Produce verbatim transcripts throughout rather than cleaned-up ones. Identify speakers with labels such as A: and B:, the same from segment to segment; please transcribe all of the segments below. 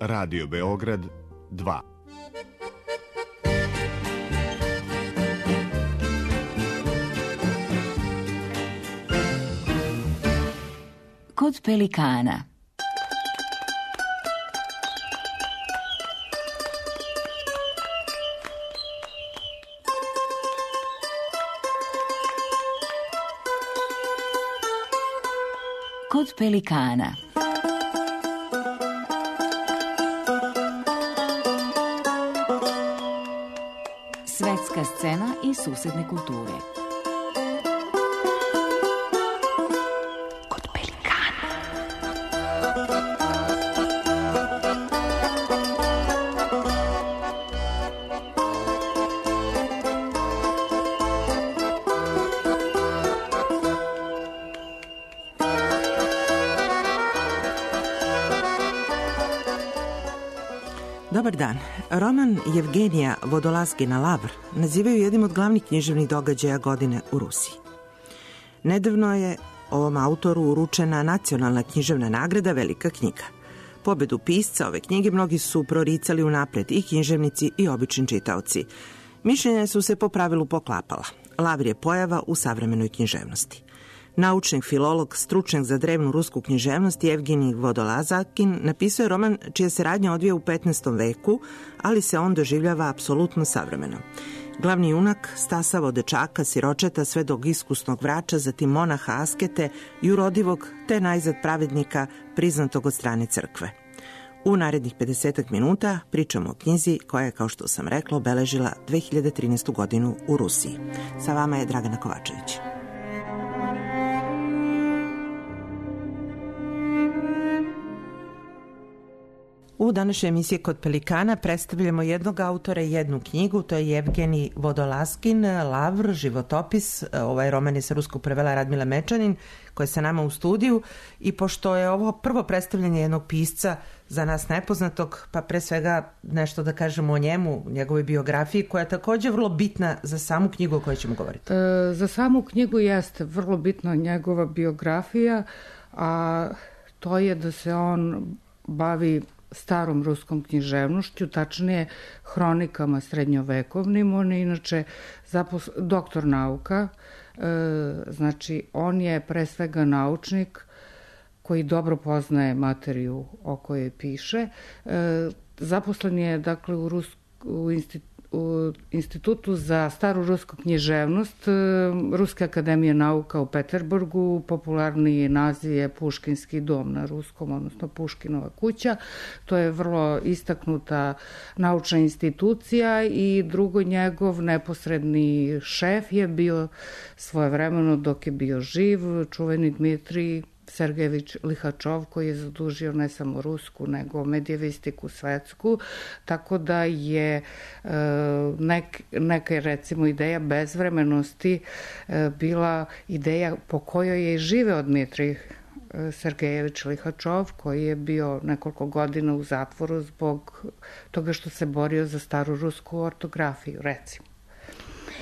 A: Radio Beograd dva.
B: Kod pelikana. Kod pelikana. Svetska scena i susedne kulture. Kod pelikana.
C: Dobar dan. Roman Jevgenija Vodolaskina Lavr nazivaju jednim od glavnih književnih događaja godine u Rusiji. Nedavno je ovom autoru uručena nacionalna književna nagrada Velika knjiga. Pobedu pisca ove knjige mnogi su proricali unapred, i književnici i obični čitaoci. Mišljenja su se po pravilu poklapala. Lavr je pojava u savremenoj književnosti. Naučnik, filolog, stručnjak za drevnu rusku književnost Jevgenij Vodolazkin napisao je roman čija se radnja odvija u petnaestom veku, ali se on doživljava apsolutno savremeno. Glavni junak stasava od dečaka, siročeta, sve do iskusnog vrača, zatim monaha askete, jurodivog, te najzad pravednika, priznatog od strane crkve. U narednih pedesetak minuta pričamo o knjizi koja je, kao što sam rekla, obeležila dve hiljade trinaestu godinu u Rusiji. Sa vama je Dragana Kovačević. U današnjoj emisiji Kod pelikana predstavljamo jednog autora i jednu knjigu, to je Jevgenij Vodolaskin, Lavr, životopis. Ovaj roman je sa ruskog prevela Radmila Mečanin, koja je sa nama u studiju, i pošto je ovo prvo predstavljanje jednog pisca za nas nepoznatog, pa pre svega nešto da kažemo o njemu, njegovoj biografiji, koja je također vrlo bitna za samu knjigu o kojoj ćemo govoriti.
D: E, za samu knjigu jeste vrlo bitna njegova biografija, a to je da se on bavi starom ruskom književnošću, tačnije hronikama srednjovekovnim. On je inače zapos... doktor nauka, e, znači on je pre svega naučnik koji dobro poznaje materiju o kojoj piše. E, zaposlen je dakle u, Rus... u institutu u Institutu za staru rusku književnost Ruske akademije nauka u Peterburgu. Popularni naziv je Puškinski dom na ruskom, odnosno Puškinova kuća. To je vrlo istaknuta naučna institucija, i drugo, njegov neposredni šef je bio svojevremeno, dok je bio živ, čuveni Dmitrij Sergejević Lihačov, koji je zadužio ne samo rusku, nego medijevistiku svetsku, tako da je nek, neka recimo ideja bezvremenosti bila ideja po kojoj je živeo Dmitrij Sergejević Lihačov, koji je bio nekoliko godina u zatvoru zbog toga što se borio za staru rusku ortografiju, recimo.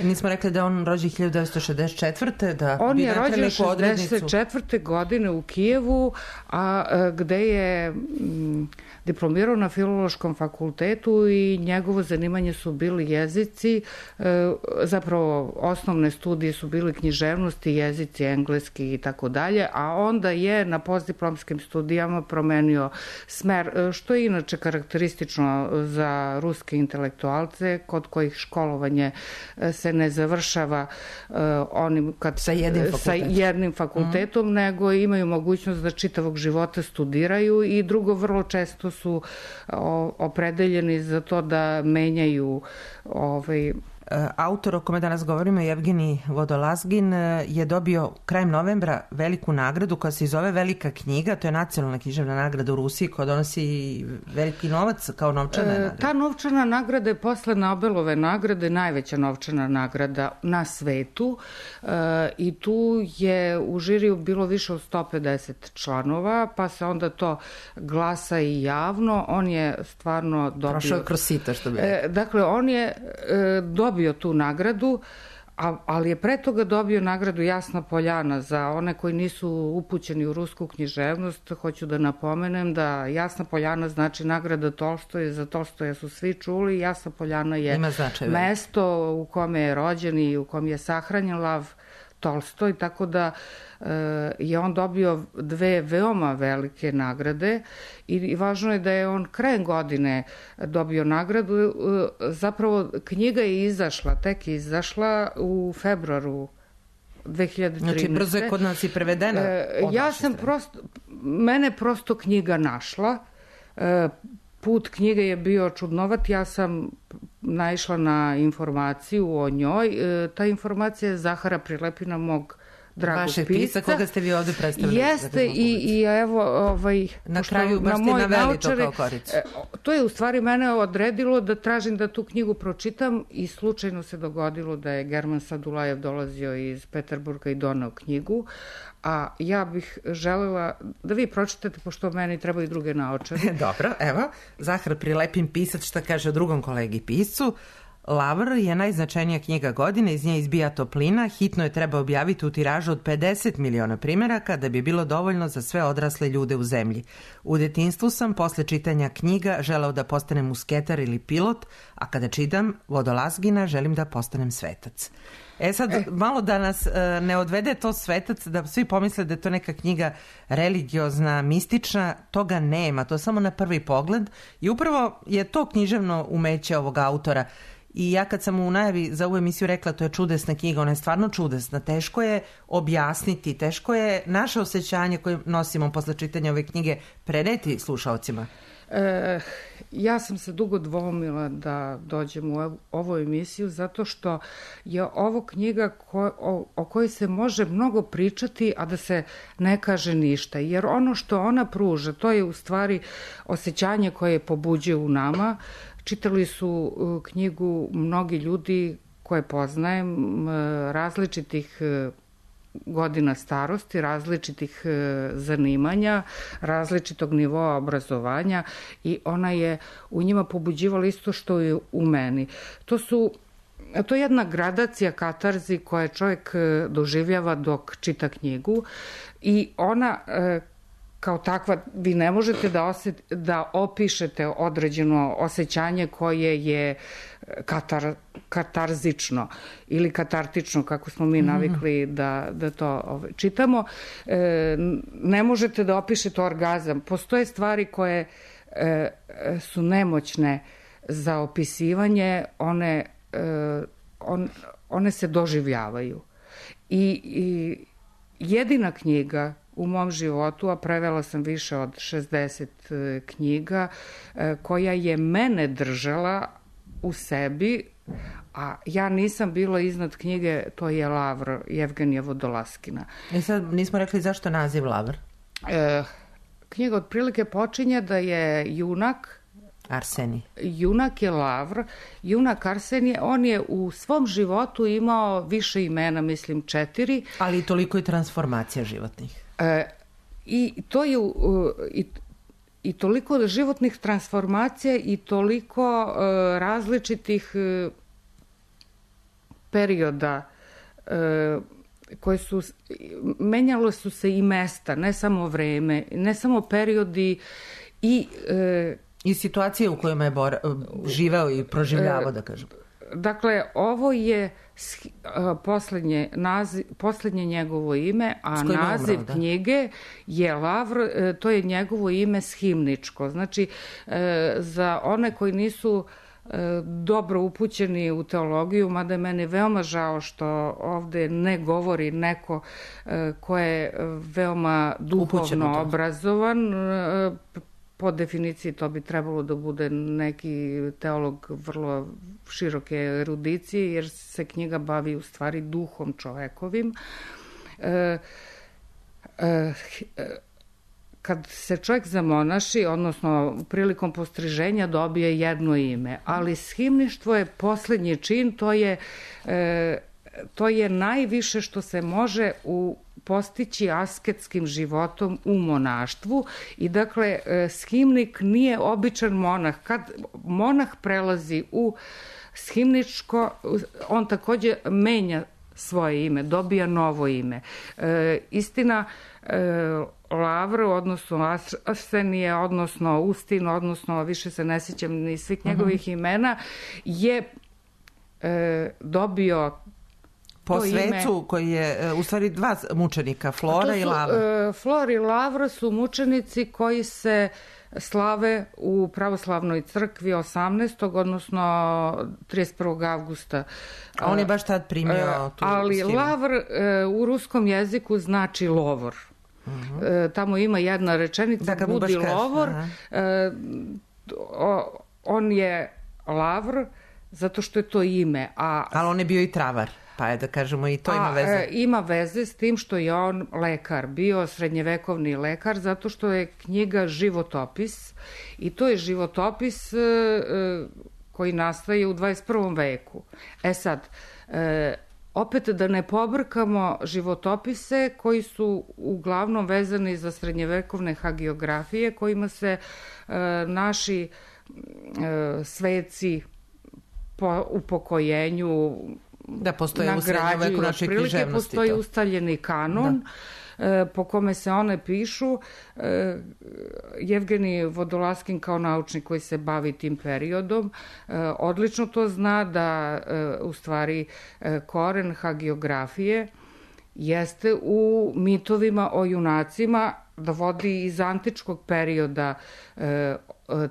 C: Nismo rekli da on rođen hiljadu devetsto šezdeset četvrte Da
D: on je rođen šezdeset četvrte godine u Kijevu, a gde je m, diplomirao na Filološkom fakultetu, i njegovo zanimanje su bili jezici, e, zapravo osnovne studije su bili književnosti, jezici, engleski i tako dalje, a onda je na postdiplomskim studijama promenio smer, što je inače karakteristično za ruske intelektualce, kod kojih školovanje se ne završava uh, onim kad,
C: sa jednim fakultetom,
D: sa jednim fakultetom mm. nego imaju mogućnost da čitavog života studiraju, i drugo, vrlo često su o, opredeljeni za to da menjaju ovaj,
C: Autor o kome danas govorimo, Jevgenij Vodolazkin, je dobio krajem novembra veliku nagradu koja se zove Velika knjiga. To je nacionalna književna nagrada u Rusiji koja donosi veliki novac kao novčana nagrada.
D: E, ta novčana nagrada je posle Nobelove nagrade najveća novčana nagrada na svetu, e, i tu je u žiriju bilo više od sto pedeset članova, pa se onda to glasa i javno. On je stvarno dobio...
C: Prošao je kroz sito, što bi
D: e, Dakle, on je e, dobio tu nagradu, A, ali je pre toga dobio nagradu Jasna Poljana. Za one koji nisu upućeni u rusku književnost, hoću da napomenem da Jasna Poljana znači nagrada Tolstoje. Za Tolstoja su svi čuli. Jasna Poljana je mesto u kome je rođen i u kom je sahranjen Lav Tolstoj, tako da e, je on dobio dve veoma velike nagrade i, i važno je da je on krajem godine dobio nagradu. E, zapravo knjiga je izašla, tek je izašla u februaru dve hiljade trinaeste.
C: Znači brzo je kod nas i prevedena.
D: E, ja sam prosto, mene prosto knjiga našla. E, Put knjige je bio čudnovat, ja sam naišla na informaciju o njoj. E, ta informacija je Zahara Prilepina, mog dragog
C: Vaše
D: pisca.
C: pisca, koga ste vi ovde predstavili.
D: Jeste i, i evo... Ovaj,
C: na kraju baš
D: na
C: ste naveli
D: naučari,
C: to kao koricu.
D: E, to je u stvari mene odredilo da tražim da tu knjigu pročitam i slučajno se dogodilo da je German Sadulajev dolazio iz Peterburga i doneo knjigu. A ja bih želela da vi pročitate, pošto meni trebaju druge naočare.
C: Dobro, evo, Zahar Prilepin, pisac, šta kaže o drugom kolegi piscu. Lavr je najznačajnija knjiga godine, iz nje izbija toplina, hitno je treba objaviti u tiražu od pedeset miliona primjeraka da bi bilo dovoljno za sve odrasle ljude u zemlji. U detinjstvu sam, posle čitanja knjiga, želeo da postanem musketar ili pilot, a kada čitam Vodolazgina, želim da postanem svetac. E sad, e. malo da nas e, ne odvede to svetac, da svi pomisle da je to neka knjiga religiozna, mistična, toga nema, to samo na prvi pogled i upravo je to književno umeće ovog autora. I ja kad sam u najavi za ovu emisiju rekla to je čudesna knjiga, ona je stvarno čudesna, teško je objasniti, teško je naše osjećanje koje nosimo posle čitanja ove knjige preneti slušaocima.
D: E, ja sam se dugo dvomila da dođem u ovu emisiju zato što je ovo knjiga ko, o, o kojoj se može mnogo pričati, a da se ne kaže ništa. Jer ono što ona pruža, to je u stvari osjećanje koje pobuđuje u nama. Čitali su knjigu mnogi ljudi koje poznajem, različitih godina starosti, različitih zanimanja, različitog nivoa obrazovanja i ona je u njima pobuđivala isto što je u meni. To su To je jedna gradacija katarzi koja čovjek doživljava dok čita knjigu i ona kao takva, vi ne možete da, osjet, da opišete određeno osjećanje koje je katar, katarzično ili katartično, kako smo mi navikli da, da to ovaj, čitamo. E, ne možete da opišete orgazam. Postoje stvari koje e, su nemoćne za opisivanje, one, e, on, one se doživljavaju. I, i jedina knjiga u mom životu, a prevela sam više od šezdeset knjiga, koja je mene držala u sebi, a ja nisam bila iznad knjige, to je Lavr Jevgenija Vodolaskina.
C: I sad nismo rekli zašto naziv Lavr?
D: E, knjiga otprilike počinje da je junak
C: Arsenij.
D: Junak je Lavr, junak Arsenije, on je u svom životu imao više imena, mislim četiri.
C: Ali toliko i transformacija životnih.
D: E, I to je uh, i, i toliko životnih transformacija i toliko uh, različitih uh, perioda uh, koje su, menjalo su se i mesta, ne samo vreme, ne samo periodi i uh,
C: i situacije u kojima je bora, živeo i proživljavao, da kažem.
D: Dakle, ovo je poslednje, naziv, poslednje njegovo ime, a naziv umrao, knjige je Lavr, to je njegovo ime shimničko. Znači, za one koji nisu dobro upućeni u teologiju, mada je meni veoma žao što ovde ne govori neko ko je veoma duhovno obrazovan. Po definiciji to bi trebalo da bude neki teolog vrlo široke erudicije, jer se knjiga bavi u stvari duhom čovekovim. E, e, kad se čovjek zamonaši, odnosno prilikom postriženja dobije jedno ime, ali shimništvo je poslednji čin, to je, e, to je najviše što se može u postići asketskim životom u monaštvu i dakle shimnik nije običan monah. Kad monah prelazi u shimničko, on takođe menja svoje ime, dobija novo ime. E, istina, e, Lavr, odnosno Arsenije, odnosno Ustin, odnosno više se ne sjećam ni svih njegovih uh-huh. imena, je e, dobio
C: po svecu ime, koji je u stvari dva mučenika, Flora su, i Lavr.
D: E, Flor i Lavr su mučenici koji se slave u pravoslavnoj crkvi osamnaestog odnosno trideset prvog avgusta.
C: A on je baš tad primio tu
D: ali
C: stilu.
D: Lavr e, u ruskom jeziku znači lovor. Uh-huh. E, tamo ima jedna rečenica, da, budi lovor. E, o, on je Lavr zato što je to ime. A,
C: ali on je bio i travar. Pa je da kažemo i to
D: a,
C: ima veze.
D: E, ima veze s tim što je on lekar, bio srednjevekovni lekar, zato što je knjiga životopis i to je životopis e, e, koji nastaje u dvadeset prvom veku. E sad, e, opet da ne pobrkamo životopise koji su uglavnom vezani za srednjevekovne hagiografije kojima se e, naši e, sveci po upokojenju
C: da postoje u srednjoveku našoj književnosti.
D: Postoji to. Ustaljeni kanon e, po kome se one pišu. E, Jevgenij Vodolaskin kao naučnik koji se bavi tim periodom e, odlično to zna da e, u stvari e, koren hagiografije jeste u mitovima o junacima, da vodi iz antičkog perioda e,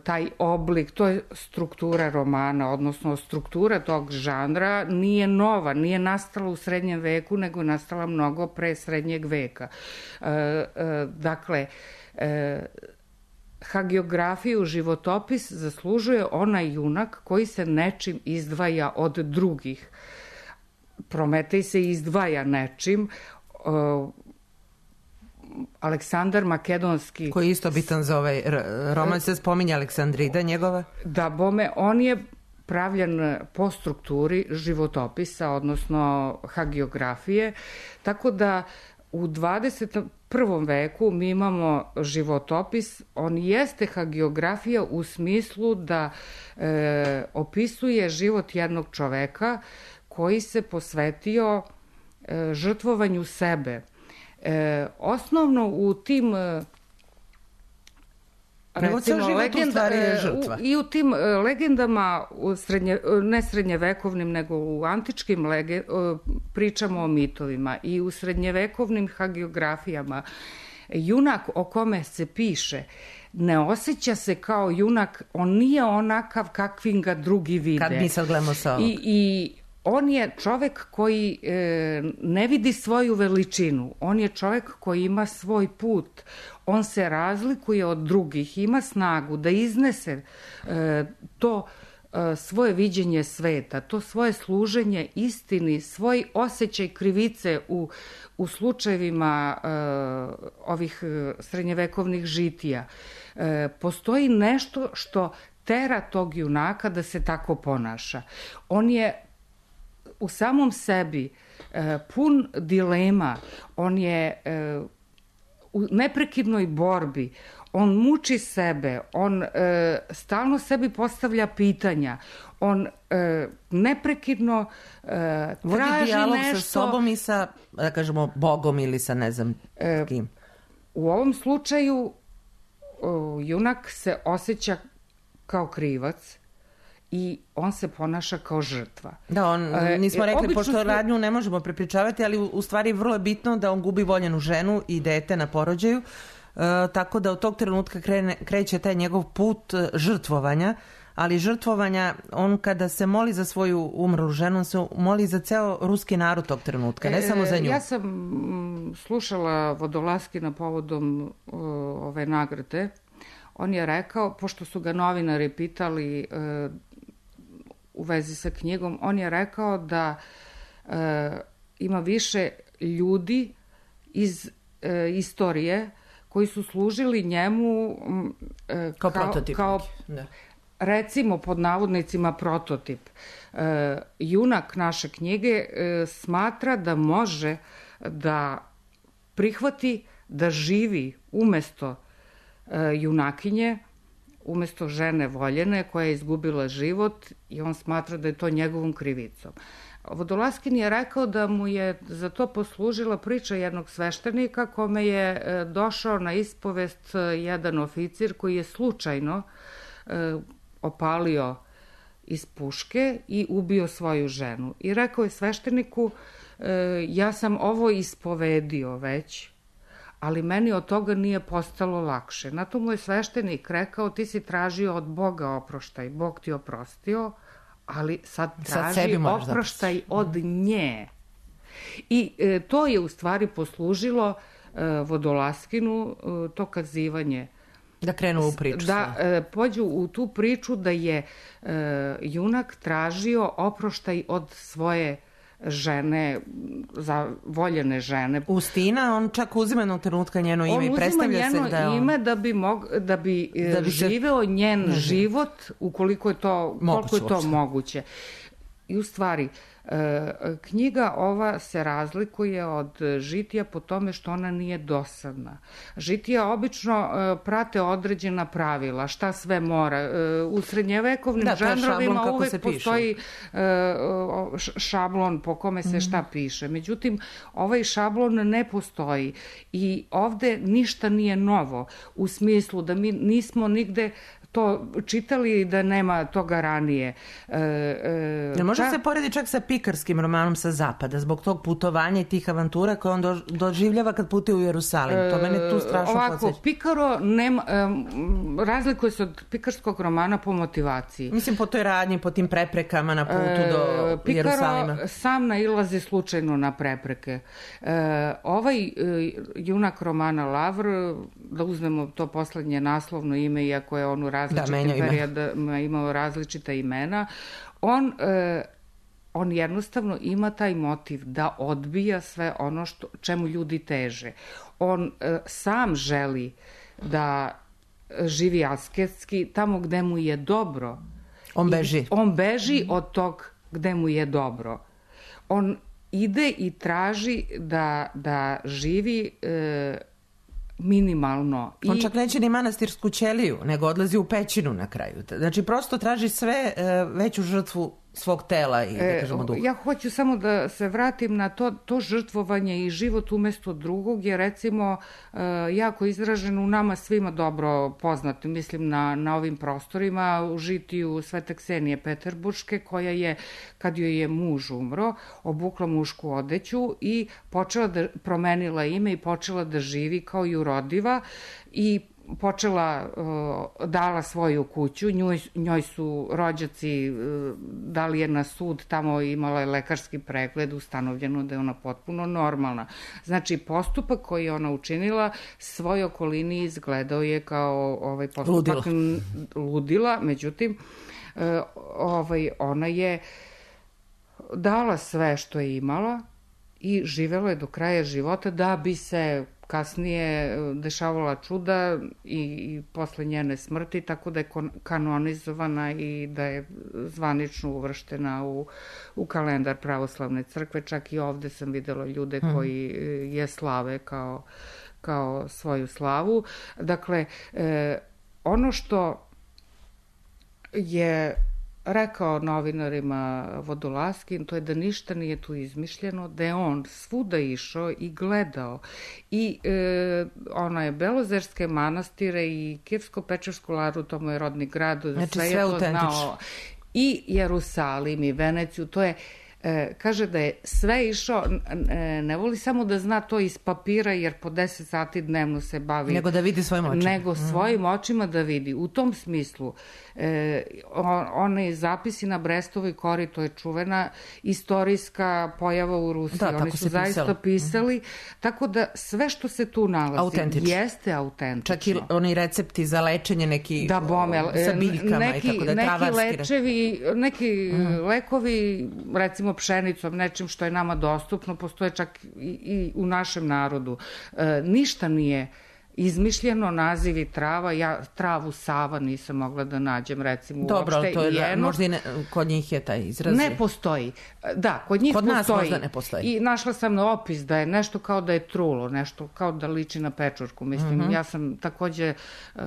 D: taj oblik, to je struktura romana, odnosno struktura tog žanra nije nova, nije nastala u srednjem veku, nego je nastala mnogo pre srednjeg veka. E, e, dakle, e, hagiografiju, životopis zaslužuje onaj junak koji se nečim izdvaja od drugih. Prometej se izdvaja nečim, e, Aleksandar Makedonski...
C: Koji je isto bitan za ovaj roman, se spominje Aleksandrida njegova?
D: Da, bome, on je pravljen po strukturi životopisa, odnosno hagiografije, tako da u dvadeset prvom veku mi imamo životopis, on jeste hagiografija u smislu da e, opisuje život jednog čoveka koji se posvetio e, žrtvovanju sebe. E, osnovno u tim recimo legenda, u, i u tim legendama u srednje, ne srednjevekovnim nego u antičkim lege, pričamo o mitovima i u srednjevekovnim hagiografijama junak o kome se piše ne osjeća se kao junak, on nije onakav kakvim ga drugi vide.
C: Kad mi sad gledamo sa ovog.
D: I, i on je čovek koji e, ne vidi svoju veličinu, on je čovek koji ima svoj put, on se razlikuje od drugih, ima snagu da iznese e, to e, svoje viđenje sveta, to svoje služenje istini, svoj osjećaj krivice u, u slučajevima e, ovih srednjevekovnih žitija. E, postoji nešto što tera tog junaka da se tako ponaša. On je u samom sebi e, pun dilema, on je e, u neprekidnoj borbi, on muči sebe, on e, stalno sebi postavlja pitanja, on e, neprekidno e, traži
C: dijalog
D: nešto...
C: sa sobom i sa, da kažemo, Bogom ili sa ne znam e, kim.
D: U ovom slučaju o, junak se osjeća kao krivac, i on se ponaša kao žrtva.
C: Da, on, nismo rekli,
D: Obično
C: pošto
D: smo...
C: radnju ne možemo prepričavati, ali u, u stvari vrlo je bitno da on gubi voljenu ženu i dete na porođaju, e, tako da od tog trenutka krene, kreće taj njegov put žrtvovanja, ali žrtvovanja, on kada se moli za svoju umrlu ženu, on se moli za ceo ruski narod tog trenutka, ne e, samo za nju.
D: Ja sam slušala Vodolaskina povodom o, ove nagrade. On je rekao, pošto su ga novinari pitali e, u vezi sa knjigom, on je rekao da e, ima više ljudi iz e, istorije koji su služili njemu e,
C: kao,
D: kao
C: prototip.
D: Kao,
C: da.
D: recimo pod navodnicima prototip. E, junak naše knjige e, smatra da može da prihvati da živi umesto e, junakinje, umesto žene voljene koja je izgubila život i on smatra da je to njegovom krivicom. Vodolaskin je rekao da mu je za to poslužila priča jednog sveštenika kome je e, došao na ispovest jedan oficir koji je slučajno e, opalio iz puške i ubio svoju ženu. I rekao je svešteniku, e, ja sam ovo ispovedio već, ali meni od toga nije postalo lakše. Na to mu je sveštenik rekao, ti si tražio od Boga oproštaj, Bog ti oprostio, ali sad traži sad oproštaj od nje. I e, to je u stvari poslužilo e, Vodolaskinu, e, to kazivanje.
C: Da krenu u priču.
D: Da e, pođu u tu priču da je e, junak tražio oproštaj od svoje žene, za voljene žene.
C: Ustina, on čak uzima jednog trenutka njeno ime i predstavlja se da je on...
D: On uzima njeno ime da bi, mog, da bi, da bi živeo njen ne život ukoliko je to, moguće, koliko je to uopšte. moguće. I u stvari, knjiga ova se razlikuje od Žitija po tome što ona nije dosadna. Žitija obično prate određena pravila, šta sve mora. U srednjevekovnim da, žanrovima uvek postoji šablon po kome se šta piše. Međutim, ovaj šablon ne postoji i ovde ništa nije novo u smislu da mi nismo nigde to čitali da nema toga ranije. E,
C: e, ne može ta... se poredi čak sa pikarskim romanom sa zapada, zbog tog putovanja i tih avantura koje on do, doživljava kad putuje u Jerusalim. To mene tu strašno
D: Ovako,
C: podsjeća.
D: Pikaro nema, um, razlikuje se od pikarskog romana po motivaciji.
C: Mislim po toj radnji, po tim preprekama na putu do
D: Pikaro
C: Jerusalima.
D: Pikaro sam nailazi slučajno na prepreke. E, ovaj e, junak romana Lavr, da uzmemo to poslednje naslovno ime, iako je on u različitim da, periodama imao različita imena, on, e, on jednostavno ima taj motiv da odbija sve ono što, čemu ljudi teže. On e, sam želi da živi asketski tamo gde mu je dobro.
C: On beži.
D: I, on beži od tog gde mu je dobro. On ide i traži da, da živi e, minimalno.
C: On
D: I...
C: čak neće ni manastirsku ćeliju, nego odlazi u pećinu na kraju. Znači, prosto traži sve e, veću žrtvu svog tela i, da kažemo, duha.
D: Ja hoću samo da se vratim na to, to žrtvovanje i život umesto drugog je, recimo, jako izražen u nama svima dobro poznat, mislim na, na ovim prostorima, u Žitiju Svete Ksenije Peterburške, koja je, kad joj je muž umro, obukla mušku odeću i počela da, promenila ime i počela da živi kao jurodiva i počela, dala svoju kuću, njoj, njoj su rođaci dali je na sud, tamo imala je lekarski pregled, ustanovljeno da je ona potpuno normalna. Znači, postupak koji je ona učinila svoj okolini izgledao je kao ovaj postupak ludila, ludila međutim, ovaj, ona je dala sve što je imala i živela je do kraja života da bi se kasnije dešavala čuda i, i posle njene smrti, tako da je kanonizovana i da je zvanično uvrštena u, u kalendar pravoslavne crkve. Čak i ovde sam videla ljude koji je slave kao, kao svoju slavu. Dakle, eh, ono što je rekao novinarima Vodolaskin, to je da ništa nije tu izmišljeno, da je on svuda išao i gledao. I e, ona je Belozerske manastire i Kijevsko-Pečersku Laru, to mu je rodni grad,
C: znači,
D: sve,
C: sve
D: je to znao. I Jerusalim i Veneciju, to je E, kaže da je sve išao, e, ne voli samo da zna to iz papira, jer po deset sati dnevno se bavi.
C: Nego da vidi svojim očima.
D: Nego svojim mm. očima da vidi. U tom smislu, e, on, one zapisi na Brestovoj kori, to je čuvena istorijska pojava u Rusiji.
C: Da,
D: oni su zaista pisali. pisali. Mm. Tako da sve što se tu nalazi autentično. Jeste autentično.
C: Čak i oni recepti za lečenje, neki
D: da, bome,
C: sa biljkama
D: neki,
C: i tako da,
D: neki
C: travarski.
D: Lečevi, neki mm. lekovi, recimo pšenicom, nečim što je nama dostupno, postoje čak i, i u našem narodu. E, ništa nije izmišljeno, nazivi trava, ja travu Sava nisam mogla da nađem, recimo,
C: dobro,
D: uopšte.
C: Dobro, to je,
D: Jeno,
C: možda i ne, kod njih je taj izraz.
D: Ne postoji. Da, kod njih
C: kod
D: postoji.
C: Kod nas možda ne postoji.
D: I našla sam na opis da je nešto kao da je trulo, nešto kao da liči na pečurku. Mislim, mm-hmm. ja sam takođe uh,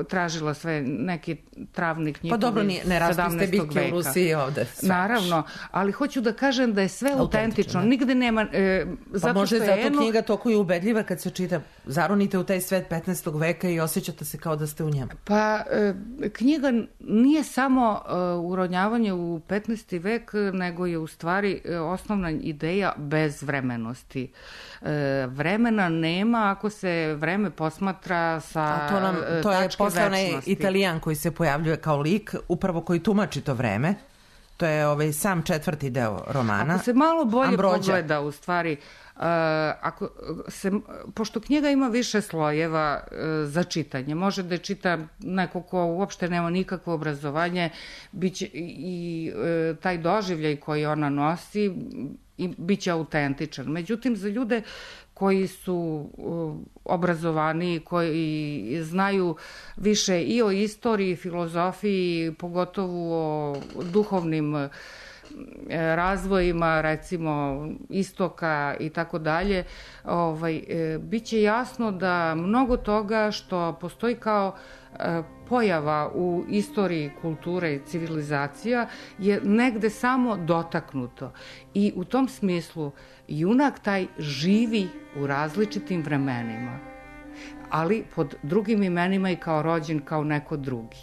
D: tražila sve neki travni knjigovi
C: pa dobro, ne, ne rastu ste biljke u Rusiji ovde. Svač.
D: Naravno, ali hoću da kažem da je sve autentično. autentično. Nigde nema... E, zato
C: pa može
D: što
C: zato
D: eno...
C: knjiga toliko je ubedljiva kad se čita. Zaronite u taj svet petnaestog veka i osjećate se kao da ste u njemu.
D: Pa, e, knjiga nije samo e, uronjavanje u petnaesti vek, nego je u stvari e, osnovna ideja bezvremenosti. E, vremena nema ako se vreme posmatra sa
C: A to nam, to
D: tačke
C: je posle onaj
D: večnosti.
C: Italijan koji se pojavljuje kao lik, upravo koji tumači to vreme. To je ovaj sam četvrti deo romana.
D: Ako se malo bolje
C: Ambrođa.
D: pogleda, u stvari, uh, ako se, pošto knjiga ima više slojeva uh, za čitanje, može da je čita neko ko uopšte nema nikakvo obrazovanje, biće i uh, taj doživljaj koji ona nosi i biće autentičan. Međutim, za ljude koji su uh, obrazovani, koji znaju više i o istoriji, filozofiji, pogotovo o duhovnim uh, razvojima, recimo istoka i tako dalje, ovaj, uh, biće jasno da mnogo toga što postoji kao uh, pojava u istoriji kulture i civilizacija je negde samo dotaknuto. I u tom smislu junak taj živi u različitim vremenima, ali pod drugim imenima i kao rođen kao neko drugi.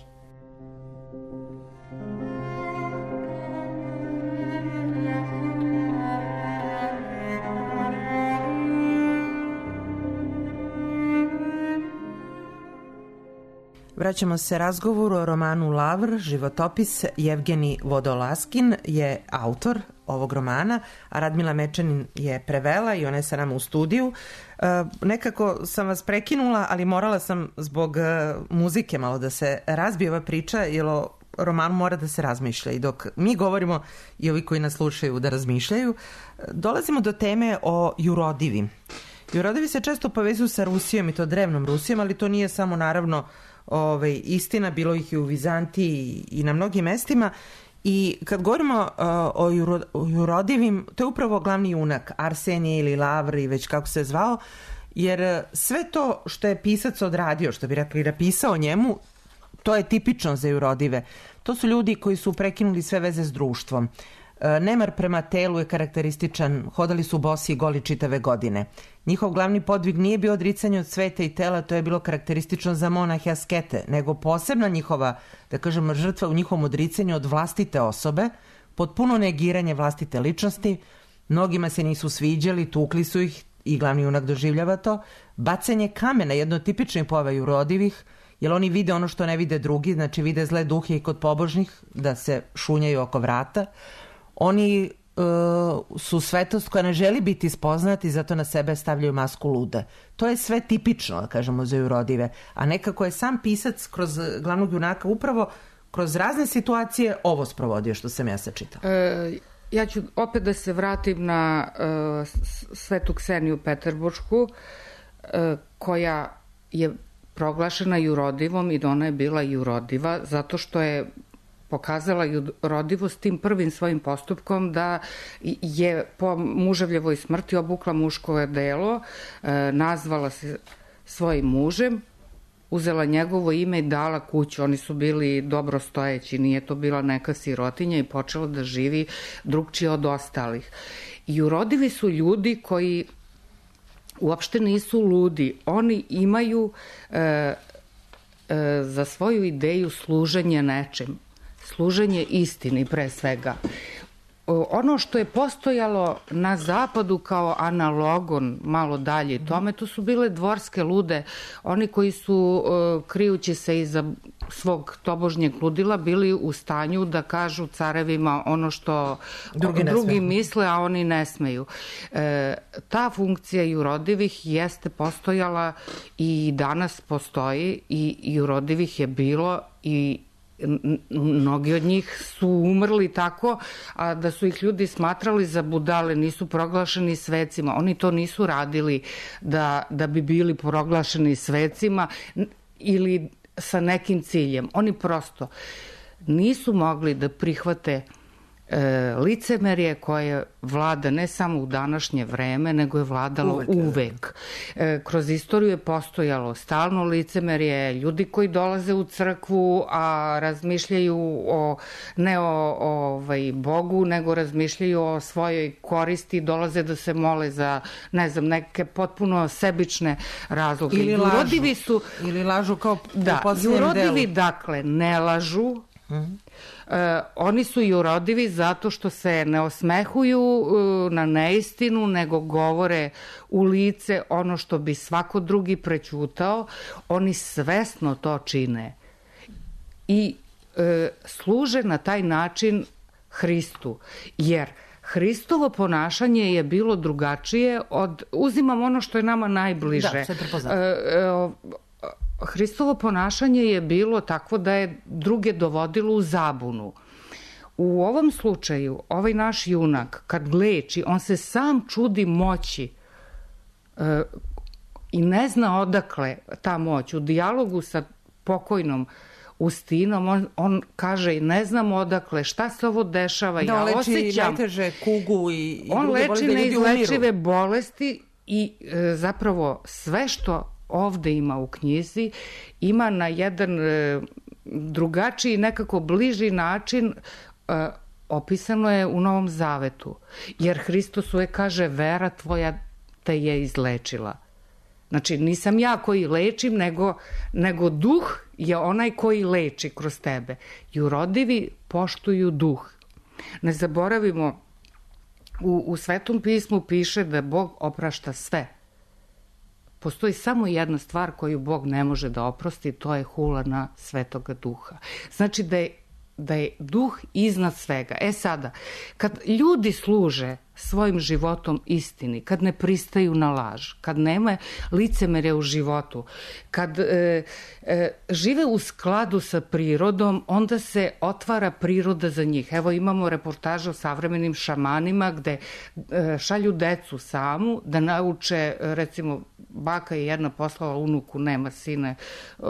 C: Vraćamo se razgovoru o romanu Lavr, životopis. Jevgenij Vodolaskin je autor ovog romana, a Radmila Mečanin je prevela i ona je sa nama u studiju. E, nekako sam vas prekinula, ali morala sam zbog e, muzike malo da se razbije ova priča, jer o romanu mora da se razmišlja. I dok mi govorimo i ovi koji nas slušaju da razmišljaju, dolazimo do teme o jurodivim. Jurodivi se često povezuju sa Rusijom i to drevnom Rusijom, ali to nije samo naravno Ove, istina, bilo ih i u Vizantiji i na mnogim mestima. I kad govorimo uh, o, juro, o jurodivim, to je upravo glavni junak, Arsenije ili Lavr i već kako se zvao, jer sve to što je pisac odradio, što bi rekli napisao njemu, to je tipično za jurodive. To su ljudi koji su prekinuli sve veze s društvom. Nemar prema telu je karakterističan, hodali su bosi i goli čitave godine. Njihov glavni podvig nije bio odricanje od sveta i tela, to je bilo karakteristično za monahe askete, nego posebna njihova, da kažemo, žrtva u njihovom odricanju od vlastite osobe, potpuno negiranje vlastite ličnosti, mnogima se nisu sviđali, tukli su ih i glavni junak doživljava to, bacanje kamena, jedno od tipičnih pojava jurodivih, jer oni vide ono što ne vide drugi, znači vide zle duhe i kod pobožnih, da se šunjaju oko vrata. Oni uh, su svetost koja ne želi biti spoznati, zato na sebe stavljaju masku lude. To je sve tipično, da kažemo, za jurodive. A nekako je sam pisac kroz glavnog junaka upravo kroz razne situacije ovo sprovodio što sam ja sačitala.
D: E, ja ću opet da se vratim na uh, Svetu Kseniju Peterburšku, uh, koja je proglašena jurodivom i da ona je bila jurodiva zato što je pokazala jurodivost tim prvim svojim postupkom da je po muževljevoj smrti obukla muško odelo, nazvala se svojim mužem, uzela njegovo ime i dala kuću. Oni su bili dobro stojeći, nije to bila neka sirotinja i počela da živi drugčije od ostalih. Jurodivi su ljudi koji uopšte nisu ludi. Oni imaju e, e, za svoju ideju služenje nečem. Služenje istini pre svega. Ono što je postojalo na zapadu kao analogon malo dalje tome, to su bile dvorske lude, oni koji su krijući se iza svog tobožnjeg ludila bili u stanju da kažu carevima ono što drugi, drugi misle, a oni ne smeju. E, ta funkcija jurodivih jeste postojala i danas postoji i jurodivih je bilo i mnogi od njih su umrli tako, a da su ih ljudi smatrali za budale, nisu proglašeni svecima. Oni to nisu radili da, da bi bili proglašeni svecima ili sa nekim ciljem. Oni prosto nisu mogli da prihvate e, licemerje koje vlada ne samo u današnje vreme, nego je vladalo uvek. uvek. E, kroz istoriju je postojalo stalno licemerje, ljudi koji dolaze u crkvu, a razmišljaju o, ne o, o ovaj, Bogu, nego razmišljaju o svojoj koristi, dolaze da se mole za, ne znam, neke potpuno sebične razloge.
C: Ili lažu.
D: Jurodivi su,
C: Ili lažu kao
D: da,
C: u posljednjem delu.
D: Jurodivi, dakle, ne lažu. Mm-hmm. E, oni su jurodivi zato što se ne osmehuju e, na neistinu, nego govore u lice ono što bi svako drugi prećutao. Oni svesno to čine i e, služe na taj način Hristu, jer Hristovo ponašanje je bilo drugačije od, uzimam ono što je nama najbliže.
C: Da, sve prepoznam.
D: E, e, Hristovo ponašanje je bilo takvo da je druge dovodilo u zabunu. U ovom slučaju, ovaj naš junak, kad leči, on se sam čudi moći e, i ne zna odakle ta moć. U dijalogu sa pokojnom Ustinom, on, on kaže, ne znam odakle, šta se ovo dešava,
C: da,
D: ja
C: leči
D: osjećam...
C: najteže kugu i, i
D: on
C: druge
D: leči
C: bolesti,
D: neizlečive bolesti i e, zapravo sve što ovde ima u knjizi, ima na jedan e, drugačiji, nekako bliži način e, opisano je u Novom Zavetu. Jer Hristos uvek kaže, vera tvoja te je izlečila. Znači, nisam ja koji lečim, nego, nego duh je onaj koji leči kroz tebe. Jurodivi poštuju duh. Ne zaboravimo, u, u Svetom pismu piše da Bog oprašta sve. Postoji samo jedna stvar koju Bog ne može da oprosti, to je hula na Svetoga Duha. Znači da je, da je duh iznad svega. E sada, kad ljudi služe svojim životom istini, kad ne pristaju na laž, kad nema licemerja u životu, kad e, e, žive u skladu sa prirodom, onda se otvara priroda za njih. Evo imamo reportaže o savremenim šamanima gde e, šalju decu samu da nauče, recimo baka je jedna poslala unuku, nema sine, e,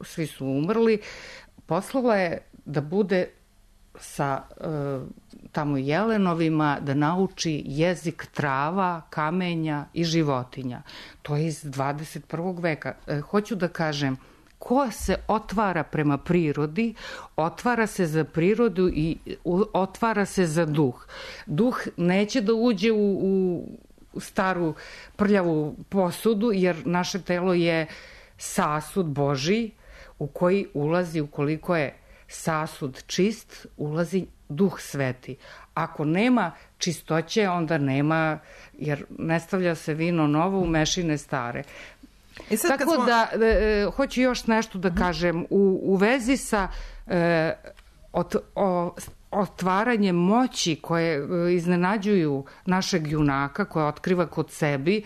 D: svi su umrli, poslala je da bude sa e, tamo jelenovima, da nauči jezik trava, kamenja i životinja. To je iz dvadeset prvog veka. E, hoću da kažem, ko se otvara prema prirodi, otvara se za prirodu i u, otvara se za duh. Duh neće da uđe u, u staru prljavu posudu, jer naše telo je sasud Božji u koji ulazi, ukoliko je sasud čist, ulazi duh sveti. Ako nema čistoće, onda nema, jer ne stavlja se vino novo u mešine stare. I sad Tako smo... da, e, hoću još nešto da kažem. U, u vezi sa e, ot, o, otvaranjem moći koje e, iznenađuju našeg junaka, koje otkriva kod sebi,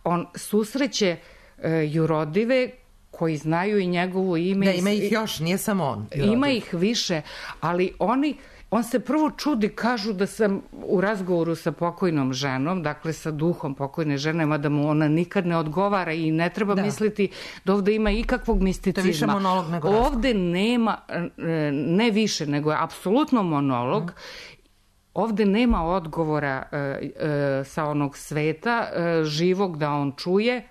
D: on susreće e, jurodive koji znaju i njegovo ime.
C: Da, ima ih još, nije samo on.
D: Ima ih više, ali oni, on se prvo čudi, kažu da sam u razgovoru sa pokojnom ženom, dakle sa duhom pokojne žene, mada mu ona nikad ne odgovara i ne treba da. misliti da ovde ima ikakvog misticizma.
C: To je više monolog nego razgovor.
D: Ovde nema, ne više, nego je apsolutno monolog. Mm. Ovde nema odgovora e, e, sa onog sveta e, živog da on čuje.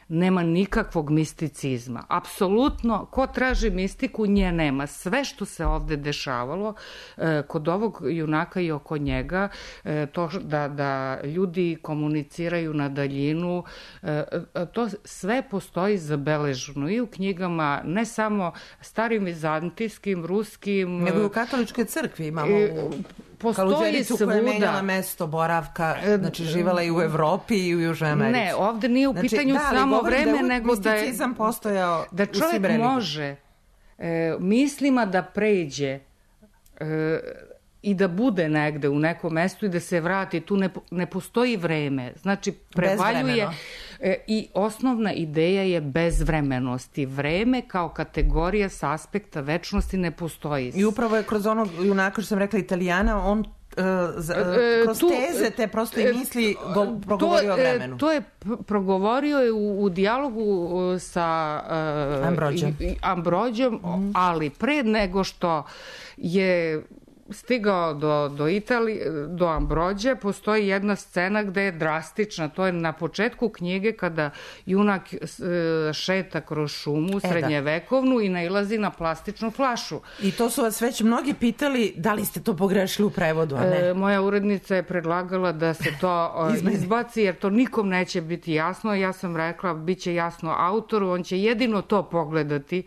D: Nema nikakvog misticizma. Apsolutno, ko traži mistiku, nje nema. Sve što se ovde dešavalo e, kod ovog junaka i oko njega, e, to da, da ljudi komuniciraju na daljinu, e, to sve postoji zabeleženo i u knjigama, ne samo starim vizantijskim, ruskim.
C: Nego i u katoličkoj crkvi imamo u...
D: Postoji svuda.
C: Koja je menjala mesto boravka, znači živala i u Evropi i u Južnoj Americi.
D: Ne, ovde nije u
C: znači,
D: pitanju
C: da,
D: samo vreme,
C: da
D: nego da je...
C: misticizam postojao
D: da čovjek može e, mislima da pređe e, i da bude negde u nekom mestu i da se vrati, tu ne, ne postoji vreme. Znači, prevaljuje e, i osnovna ideja je bezvremenosti. Vreme kao kategorija sa aspekta večnosti ne postoji.
C: I upravo je kroz onog junaka, što sam rekla, Italijana, on Uh, za, uh, kroz tu, teze te prosto i misli go, progovorio o vremenu.
D: To je progovorio je u, u dijalogu sa uh,
C: Ambrođom,
D: Ambrođom mm. ali pre nego što je stigao do, do Italije, do Ambrođe, postoji jedna scena gde je drastična. To je na početku knjige kada junak šeta kroz šumu srednjevekovnu i nailazi na plastičnu flašu.
C: I to su vas već mnogi pitali da li ste to pogrešili u prevodu, a ne?
D: E, moja urednica je predlagala da se to izbaci, jer to nikom neće biti jasno. Ja sam rekla, bit će jasno autoru, on će jedino to pogledati,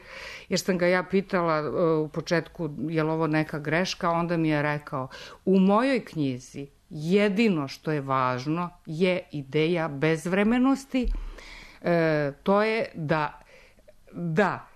D: jer sam ga ja pitala u početku je li ovo neka greška, onda mi je rekao, u mojoj knjizi jedino što je važno je ideja bezvremenosti, e, to je da, da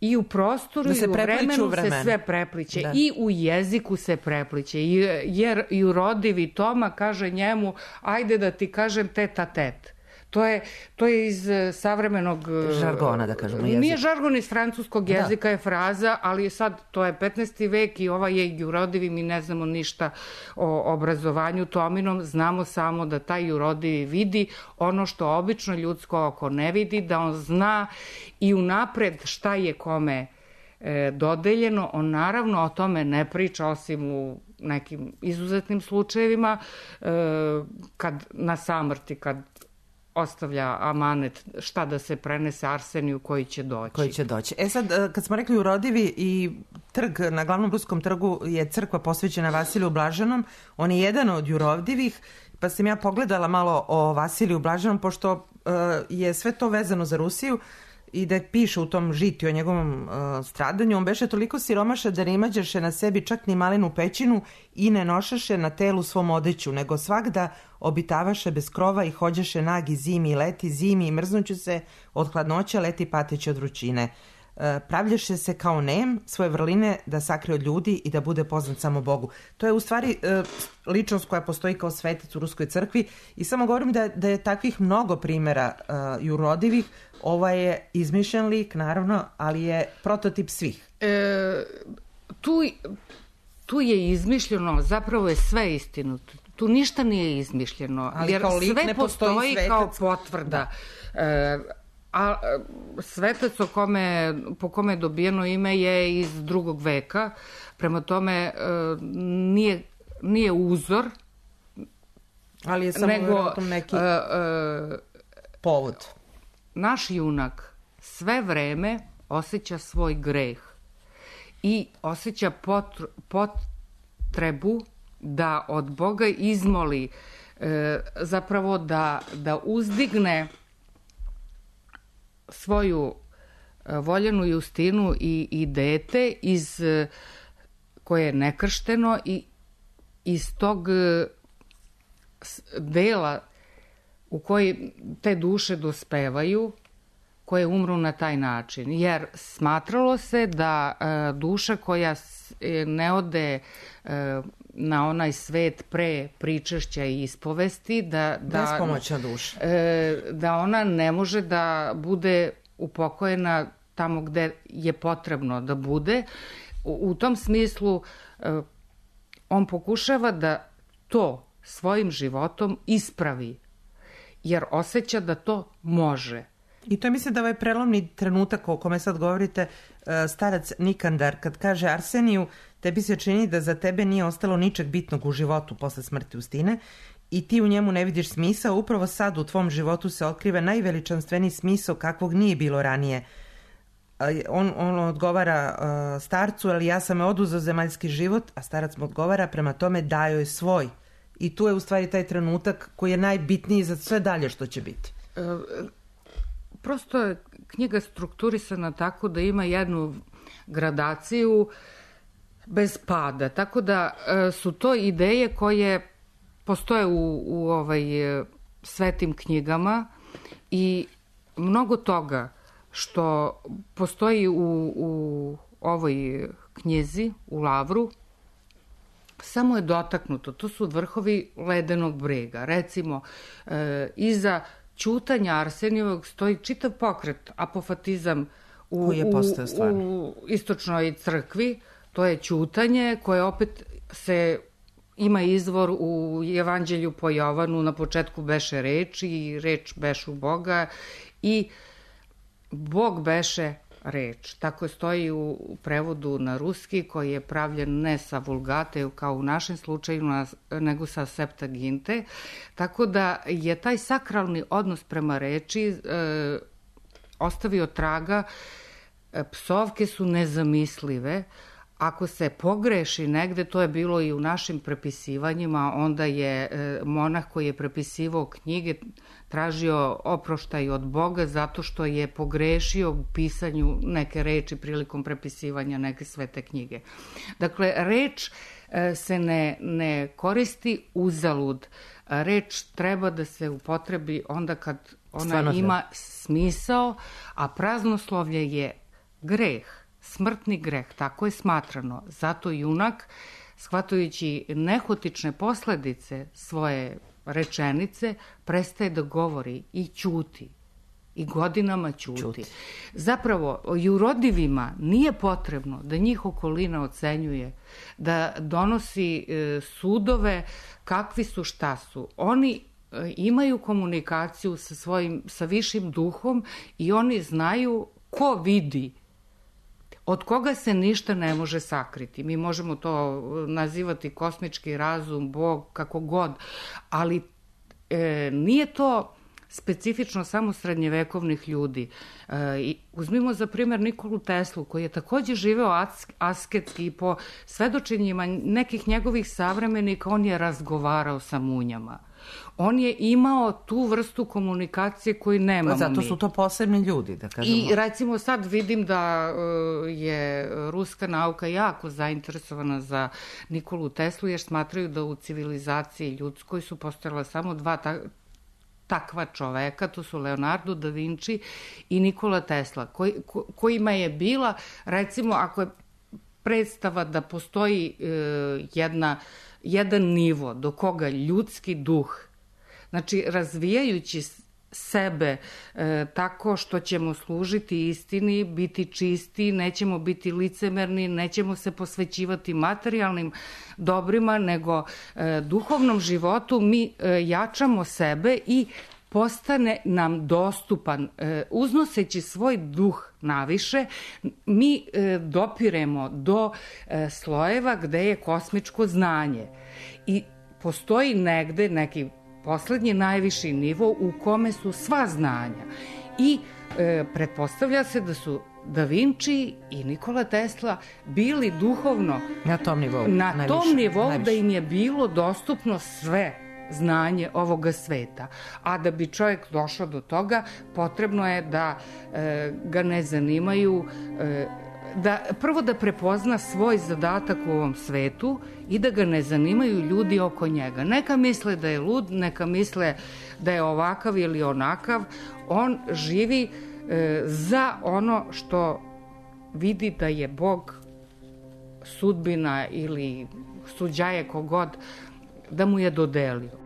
D: i u prostoru da i u vremenu vremen. se sve prepliće, da. I u jeziku se prepliće, jer i u rodivi Toma kaže njemu, ajde da ti kažem teta tet. To je, to je iz savremenog...
C: Žargona, da kažemo, jezik.
D: Nije žargon iz francuskog jezika, da. Je fraza, ali sad to je petnaesti vek i ova je jurodivi, mi ne znamo ništa o obrazovanju Tominom, znamo samo da taj jurodivi vidi ono što obično ljudsko oko ne vidi, da on zna i unapred šta je kome e, dodeljeno. On naravno o tome ne priča, osim u nekim izuzetnim slučajevima, e, kad na samrti, kad ostavlja amanet šta da se prenese Arseniju koji će doći.
C: Koji će doći. E sad, kad smo rekli urodivi i trg, na glavnom ruskom trgu je crkva posvećena Vasiliju Blaženom, on je jedan od jurodivih, pa sam ja pogledala malo o Vasiliju Blaženom, pošto uh, je sve to vezano za Rusiju i da piše u tom žitiju o njegovom uh, stradanju, on beše toliko siromaša da ne imađeše na sebi čak ni malenu pećinu i ne nošaše na telu svom odeću, nego svakda obitavaše bez krova i hođaše nagi zimi i leti, zimi i mrznuću se od hladnoća, leti pateći od vrućine. E, pravljaše se kao nem svoje vrline da sakrije od ljudi i da bude poznat samo Bogu. To je u stvari e, ličnost koja postoji kao svetac u Ruskoj crkvi i samo govorim da, da je takvih mnogo primjera e, jurodivih. Ovo je izmišljen lik, naravno, ali je prototip svih.
D: E, tu, tu je izmišljeno, zapravo je sve istinuto. Tu ništa nije izmišljeno,
C: ali
D: jer sve postoji kao potvrda. Da. E, a svetac o kome, po kome je dobijeno ime je iz drugog veka, prema tome e, nije, nije uzor,
C: ali je samo
D: nego
C: neki
D: e, e,
C: povod.
D: Naš junak sve vreme osjeća svoj greh i osjeća potr, potrebu da od Boga izmoli, e, zapravo da, da uzdigne svoju voljenu Justinu i, i dete iz, koje je nekršteno i iz tog dela u koji te duše dospevaju, koje umru na taj način. Jer smatralo se da e, duša koja ne ode e, na onaj svet pre pričešća i ispovesti, da, da,
C: bespomoćna duša.
D: E, da ona ne može da bude upokojena tamo gde je potrebno da bude. U, u tom smislu e, on pokušava da to svojim životom ispravi, jer osjeća da to može.
C: I to je, mislim, da ovaj prelomni trenutak o kome sad govorite, starac Nikandar, kad kaže Arseniju, tebi se čini da za tebe nije ostalo ničeg bitnog u životu posle smrti Justine i ti u njemu ne vidiš smisao, upravo sad u tvom životu se otkriva najveličanstveniji smisao kakvog nije bilo ranije. On, on odgovara uh, starcu, ali ja sam me oduzeo zemaljski život, a starac mu odgovara, prema tome dajo je svoj. I tu je u stvari taj trenutak koji je najbitniji za sve dalje što će biti.
D: E, prosto je knjiga strukturisana tako da ima jednu gradaciju bez pada, tako da e, su to ideje koje postoje u, u ovaj, svetim knjigama i mnogo toga što postoji u, u ovoj knjizi, u Lavru, samo je dotaknuto. To su vrhovi ledenog brega. Recimo, e, iza ćutanja Arsenijevog stoji čitav pokret, apofatizam u,
C: koji je postao stvarno
D: u istočnoj crkvi. To je ćutanje koje opet se ima izvor u Evanđelju po Jovanu, na početku beše reč i reč bešu Boga i Bog beše reč. Tako stoji u prevodu na ruski koji je pravljen ne sa vulgate kao u našem slučaju, nego sa septaginte. Tako da je taj sakralni odnos prema reči e, ostavio traga. Psovke su nezamislive. Ako se pogreši negde, to je bilo i u našim prepisivanjima, onda je monah koji je prepisivao knjige tražio oproštaj od Boga zato što je pogrešio u pisanju neke reči prilikom prepisivanja neke svete knjige. Dakle, reč se ne, ne koristi uzalud. Reč treba da se upotrebi onda kad ona Stvarno ima smisao, a praznoslovlje je greh. Smrtni greh, tako je smatrano. Zato junak, shvatajući nehotične posledice svoje rečenice, prestaje da govori i ćuti. I godinama ćuti. ćuti. Zapravo, jurodivima nije potrebno da njih okolina ocenjuje, da donosi e, sudove kakvi su, šta su. Oni e, imaju komunikaciju sa svojim, sa višim duhom i oni znaju ko vidi, od koga se ništa ne može sakriti. Mi možemo to nazivati kosmički razum, Bog, kako god, ali e, nije to specifično samo srednjevekovnih ljudi. E, uzmimo za primjer Nikolu Teslu, koji je takođe živeo asketski i po svedočenjima nekih njegovih savremenika on je razgovarao sa munjama. On je imao tu vrstu komunikacije koju nemamo mi.
C: Zato su to posebni ljudi, da kažemo.
D: I recimo sad vidim da je ruska nauka jako zainteresovana za Nikolu Teslu, jer smatraju da u civilizaciji ljudskoj su postojala samo dva ta, takva čoveka, to su Leonardo da Vinci i Nikola Tesla, koji, ko, kojima je bila, recimo, ako je predstava da postoji e, jedna jedan nivo do koga ljudski duh, znači razvijajući sebe e, tako što ćemo služiti istini, biti čisti, nećemo biti licemerni, nećemo se posvećivati materijalnim dobrima, nego e, duhovnom životu mi e, jačamo sebe i postane nam dostupan. E, uznoseći svoj duh naviše, mi e, dopiremo do e, slojeva gde je kosmičko znanje. I postoji negde neki poslednji najviši nivo u kome su sva znanja. I e, pretpostavlja se da su Da Vinci i Nikola Tesla bili duhovno
C: na tom nivou,
D: na
C: najviše,
D: tom nivou
C: najviše.
D: Da im je bilo dostupno sve znanje ovoga sveta. A da bi čovjek došao do toga, potrebno je da e, ga ne zanimaju, e, da prvo da prepozna svoj zadatak u ovom svetu i da ga ne zanimaju ljudi oko njega. Neka misle da je lud, neka misle da je ovakav ili onakav, on živi e, za ono što vidi da je Bog, sudbina ili suđaje kogod, da mu je dodelio.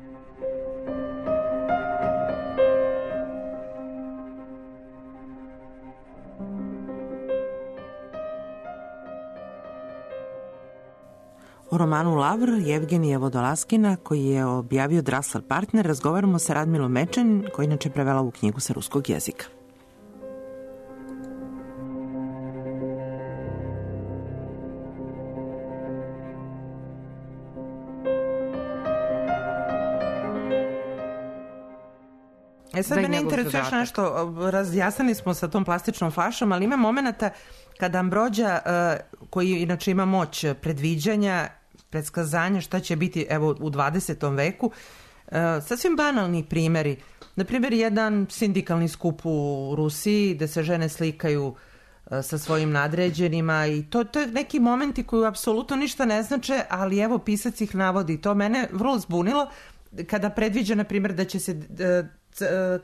C: O romanu Lavr Jevgenija Vodolaskina, koji je objavio Drasl Partner, razgovaramo sa Radmilom Mečanin, koji inače prevela ovu knjigu sa ruskog jezika. E sad mene interesuje još nešto, razjasnili smo sa tom plastičnom flašom, ali ima momenta kada Ambrođa, koji inače ima moć predviđanja, predskazanja šta će biti evo u dvadesetom veku, sasvim banalni primjeri. Na primjer, jedan sindikalni skup u Rusiji gde se žene slikaju sa svojim nadređenima i to, to je neki momenti koji apsolutno ništa ne znače, ali evo pisac ih navodi. To mene vrlo zbunilo kada predviđa, na primjer, da će se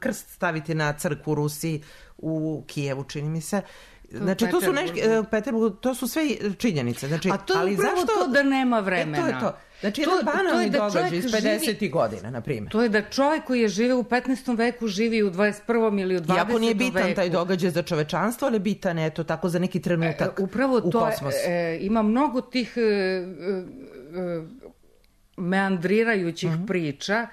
C: krst staviti na crkvu u Rusiji, u Kijevu, čini mi se. znači to su neški, Peterburgu, to su sve činjenice. Znači,
D: a to je
C: ali
D: upravo
C: zašto...
D: to da nema vremena.
C: E, to je to. Znači,
D: to,
C: jedan banalni
D: da
C: događaj iz pedesetih
D: živi...
C: godina, na primjer.
D: To je da čovjek koji je živeo u petnaestom veku živi u dvadeset prvom ili u dvadesetom veku.
C: Iako nije bitan veku. Taj događaj za čovečanstvo, ali bitan je to tako za neki trenutak
D: e, upravo
C: u
D: to
C: kosmosu.
D: E, ima mnogo tih e, e, meandrirajućih mm-hmm. priča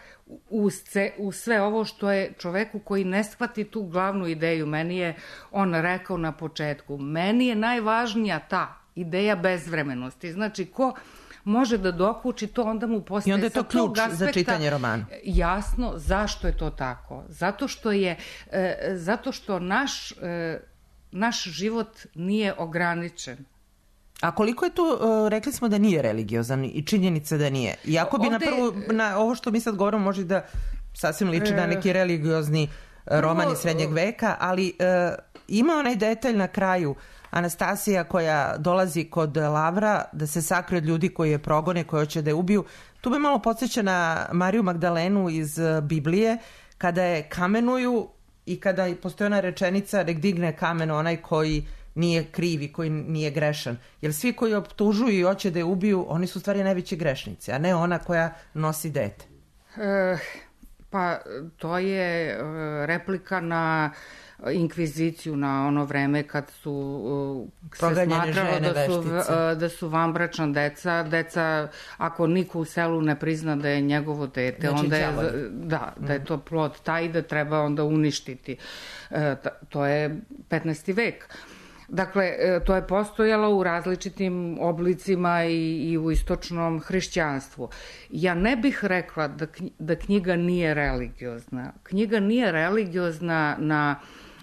D: u, sce, u sve ovo što je čoveku koji ne shvati tu glavnu ideju. Meni je on rekao na početku, meni je najvažnija ta ideja bezvremenosti. Znači, ko može da dokuči to, onda mu postaje...
C: I onda je to ključ aspekta, za čitanje romana.
D: Jasno, zašto je to tako? Zato što je, e, zato što naš, e, naš život nije ograničen.
C: A koliko je tu, uh, rekli smo da nije religiozan i činjenica da nije. Iako bi Ovde, na prvu, na ovo što mi sad govorimo može da sasvim liči na neki religiozni roman iz srednjeg veka, ali uh, ima onaj detalj na kraju, Anastasija koja dolazi kod Lavra da se sakrije od ljudi koji je progone, koji hoće da je ubiju. Tu me malo podsjeća na Mariju Magdalenu iz Biblije, kada je kamenuju i kada postoji ona rečenica nek digne kamen onaj koji nije kriv i koji nije grešan. Jer svi koji optužuju i hoće da je ubiju, oni su u stvari najveći grešnici, a ne ona koja nosi dete.
D: E, pa to je replika na inkviziciju, na ono vreme kad su se smatralo da su, da su vanbračna deca. Deca, ako niko u selu ne prizna da je njegovo dete, znači, onda je, da, da je to plod taj da treba onda uništiti. E, to je petnaesti vek. Dakle, to je postojalo u različitim oblicima i, i u istočnom hrišćanstvu. Ja ne bih rekla da, da knjiga nije religiozna. Knjiga nije religiozna na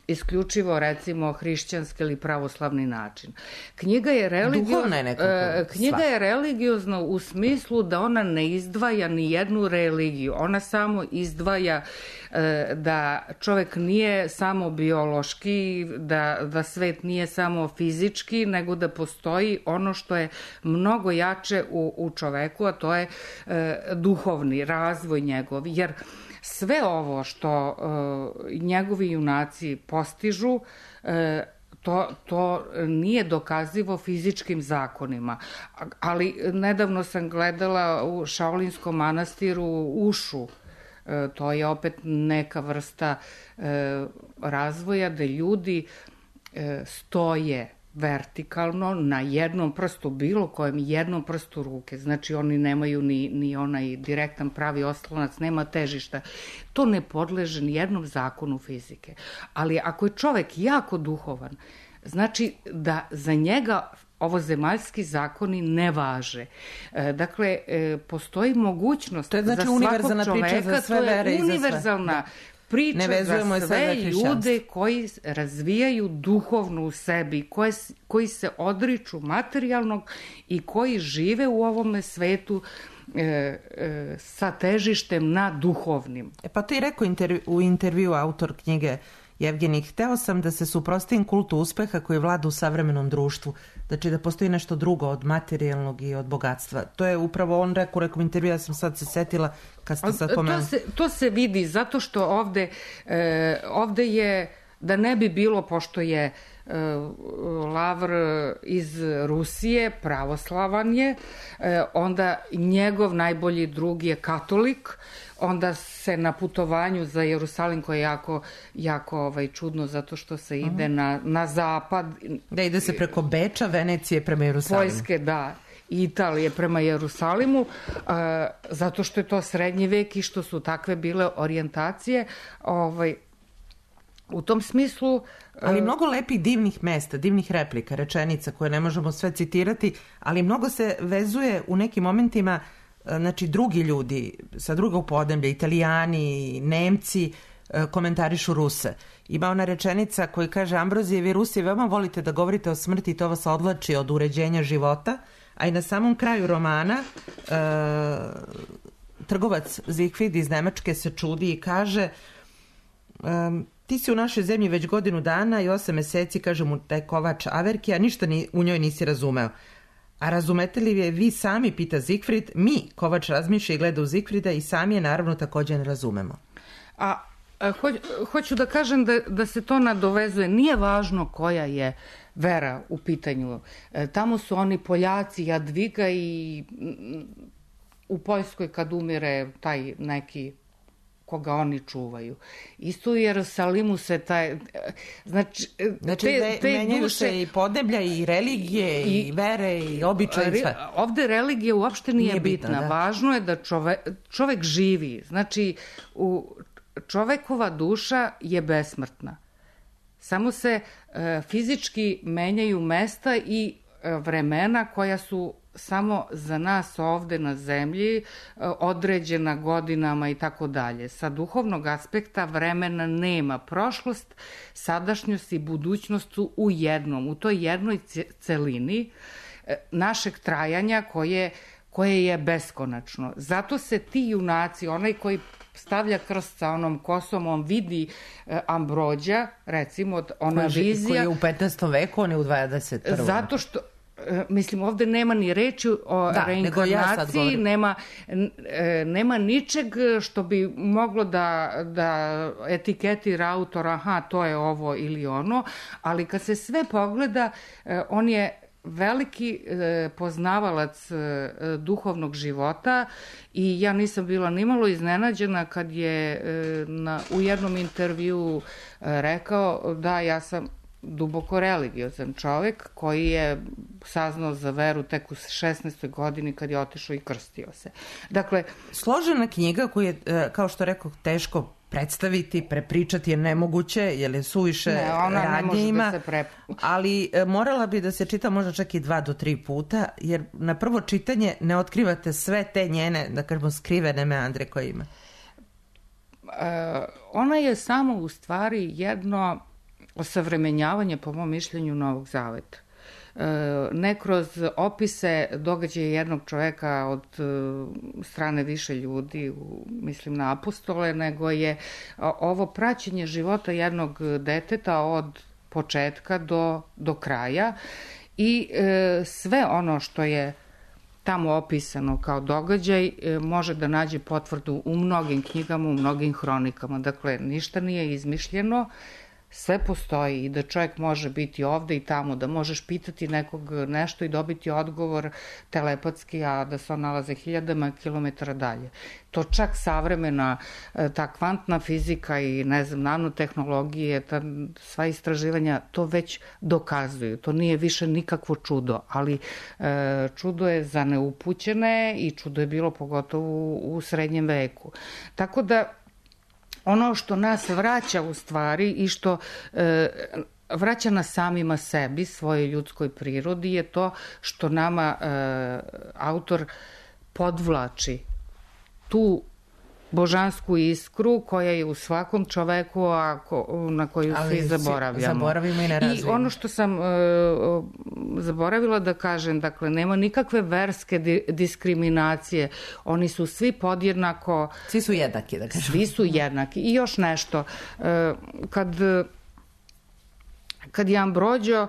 D: isključivo, recimo, hrišćanski ili pravoslavni način. Knjiga je religiozna, je knjiga je religiozna u smislu da ona ne izdvaja ni jednu religiju. Ona samo izdvaja da čovek nije samo biološki, da, da svet nije samo fizički, nego da postoji ono što je mnogo jače u, u čoveku, a to je e, duhovni razvoj njegov. Jer sve ovo što uh, njegovi junaci postižu, uh, to, to nije dokazivo fizičkim zakonima. Ali nedavno sam gledala u Šaolinskom manastiru Ušu. Uh, to je opet neka vrsta uh, razvoja da ljudi uh, stoje vertikalno na jednom prstu, bilo kojem jednom prstu ruke. Znači oni nemaju ni, ni onaj direktan pravi oslonac, nema težišta. To ne podleže ni jednom zakonu fizike. Ali ako je čovek jako duhovan, znači da za njega ovo zemaljski zakoni ne važe. E, dakle, e, postoji mogućnost to je, znači, za svakog čoveka, za sve vere to je univerzalna priča za sve ljude koji razvijaju duhovno u sebi, koje, koji se odriču materijalnog i koji žive u ovome svetu e, e, sa težištem na duhovnim.
C: E pa to je rekao intervju, u intervju autor knjige Jevgenij, hteo sam da se suprotstavim kultu uspeha koji vlada u savremenom društvu, znači da postoji nešto drugo od materijalnog i od bogatstva. To je upravo on rekao, rekao intervju, ja sam sad se setila kad ste sad pomenuli.
D: To se, to se vidi zato što ovde, e, ovde je, da ne bi bilo, pošto je e, Lavr iz Rusije, pravoslavan je, e, onda njegov najbolji drug je katolik, onda se na putovanju za Jerusalim, koje je jako, jako ovaj, čudno zato što se ide uh-huh. na, na zapad.
C: Da ide se preko Beča, Venecije prema Jerusalimu.
D: Poljske, da. Italije prema Jerusalimu, uh, zato što je to srednji vek i što su takve bile orijentacije. Ovaj, u tom smislu... Uh,
C: ali mnogo lepih divnih mesta, divnih replika, rečenica koje ne možemo sve citirati, ali mnogo se vezuje u nekim momentima, znači drugi ljudi sa drugog podneblja, Italijani, Nemci, komentarišu Ruse. Ima ona rečenica koja kaže: Ambrozije, vi Rusi veoma volite da govorite o smrti i to vas odvlači od uređenja života, a i na samom kraju romana e, trgovac Zigfrid iz Nemačke se čudi i kaže e, ti si u našoj zemlji već godinu dana i osam meseci, kaže mu taj kovač Averki, a ništa ni, u njoj nisi razumeo. A razumete li je vi sami, pita Zigfrid, mi, kovač razmišlja i gleda u Zigfrida i sami je naravno također ne razumemo.
D: A Ho, hoću da kažem da, da se to nadovezuje. Nije važno koja je vera u pitanju. Tamo su oni Poljaci, Jadviga i u Poljskoj kad umire taj neki koga oni čuvaju. Isto u Jerusalimu se taj... Znači,
C: znači
D: te, te
C: menjaju
D: duše,
C: se i podneblja i religije i, i vere i običaje i sve.
D: Ovde religija uopšte nije, nije bitna.
C: bitna da.
D: Važno je da čove, čovek živi. Znači, u, čovekova duša je besmrtna. Samo se e, fizički menjaju mesta i e, vremena koja su samo za nas ovde na zemlji određena godinama i tako dalje. Sa duhovnog aspekta vremena nema. Prošlost, sadašnjost i budućnost su u jednom, u toj jednoj celini našeg trajanja koje, koje je beskonačno. Zato se ti junaci, onaj koji stavlja krst sa onom kosom, on vidi Ambrođa, recimo, ona
C: koji,
D: vizija...
C: Koji je u petnaestom veku, on je u dvadeset prvom.
D: Zato što mislim, ovde nema ni reči o da, reinkarnaciji, ja nema, nema ničeg što bi moglo da, da etiketira autora, aha, to je ovo ili ono, ali kad se sve pogleda, on je veliki poznavalac duhovnog života i ja nisam bila nimalo iznenađena kad je na, u jednom intervju rekao da ja sam duboko religiozan čovek koji je saznao za veru tek u šesnaestoj godini kad je otišao i krstio se. Dakle,
C: složena knjiga koju je, kao što rekao, teško predstaviti, prepričati je nemoguće, jer je suviše
D: ne, ona
C: radnje
D: ne može
C: ima,
D: da se pre...
C: ali morala bi da se čita možda čak i dva do tri puta, jer na prvo čitanje ne otkrivate sve te njene, da kažemo, skrivene meandre koje ima.
D: E, ona je samo u stvari jedno osavremenjavanje, po mom mišljenju, Novog Zaveta. Ne kroz opise događaja jednog čoveka od strane više ljudi, mislim na apostole, nego je ovo praćenje života jednog deteta od početka do, do kraja i sve ono što je tamo opisano kao događaj može da nađe potvrdu u mnogim knjigama, u mnogim hronikama. Dakle, ništa nije izmišljeno, sve postoji i da čovjek može biti ovde i tamo, da možeš pitati nekog nešto i dobiti odgovor telepatski, a da se on nalaze hiljadama kilometara dalje. To čak savremena, ta kvantna fizika i, ne znam, nanotehnologije, ta, sva istraživanja to već dokazuju. To nije više nikakvo čudo, ali e, čudo je za neupućene i čudo je bilo pogotovo u, u srednjem veku. Tako da ono što nas vraća u stvari i što e, vraća nas samima sebi, svojoj ljudskoj prirodi, je to što nama e, autor podvlači tu božansku iskru koja je u svakom čoveku, a ko, na koju ali svi zaboravljamo.
C: Zaboravimo i ne razvijemo.
D: I ono što sam e, zaboravila da kažem, dakle, nema nikakve verske di, diskriminacije. Oni su svi podjednako...
C: Svi su jednaki, da kažem.
D: Svi su jednaki. I još nešto. E, kad, kad je Ambrođo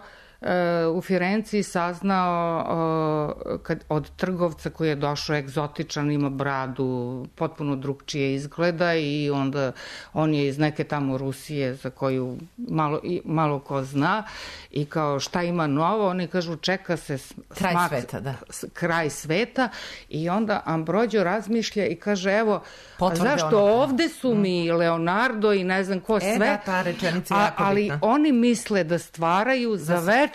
D: u Firenciji saznao kad, od trgovca koji je došao egzotičan, ima bradu, potpuno drugčije izgleda i onda on je iz neke tamo Rusije za koju malo, malo ko zna i kao šta ima novo, oni kažu čeka se
C: kraj
D: smak,
C: sveta, da.
D: kraj sveta i onda Ambrođo razmišlja i kaže evo,
C: potvrde
D: zašto
C: ono,
D: ovde su mm. mi Leonardo i ne znam ko
C: e,
D: sve,
C: da, ta rečenica je jako
D: ali
C: bitna.
D: oni misle da stvaraju za večnost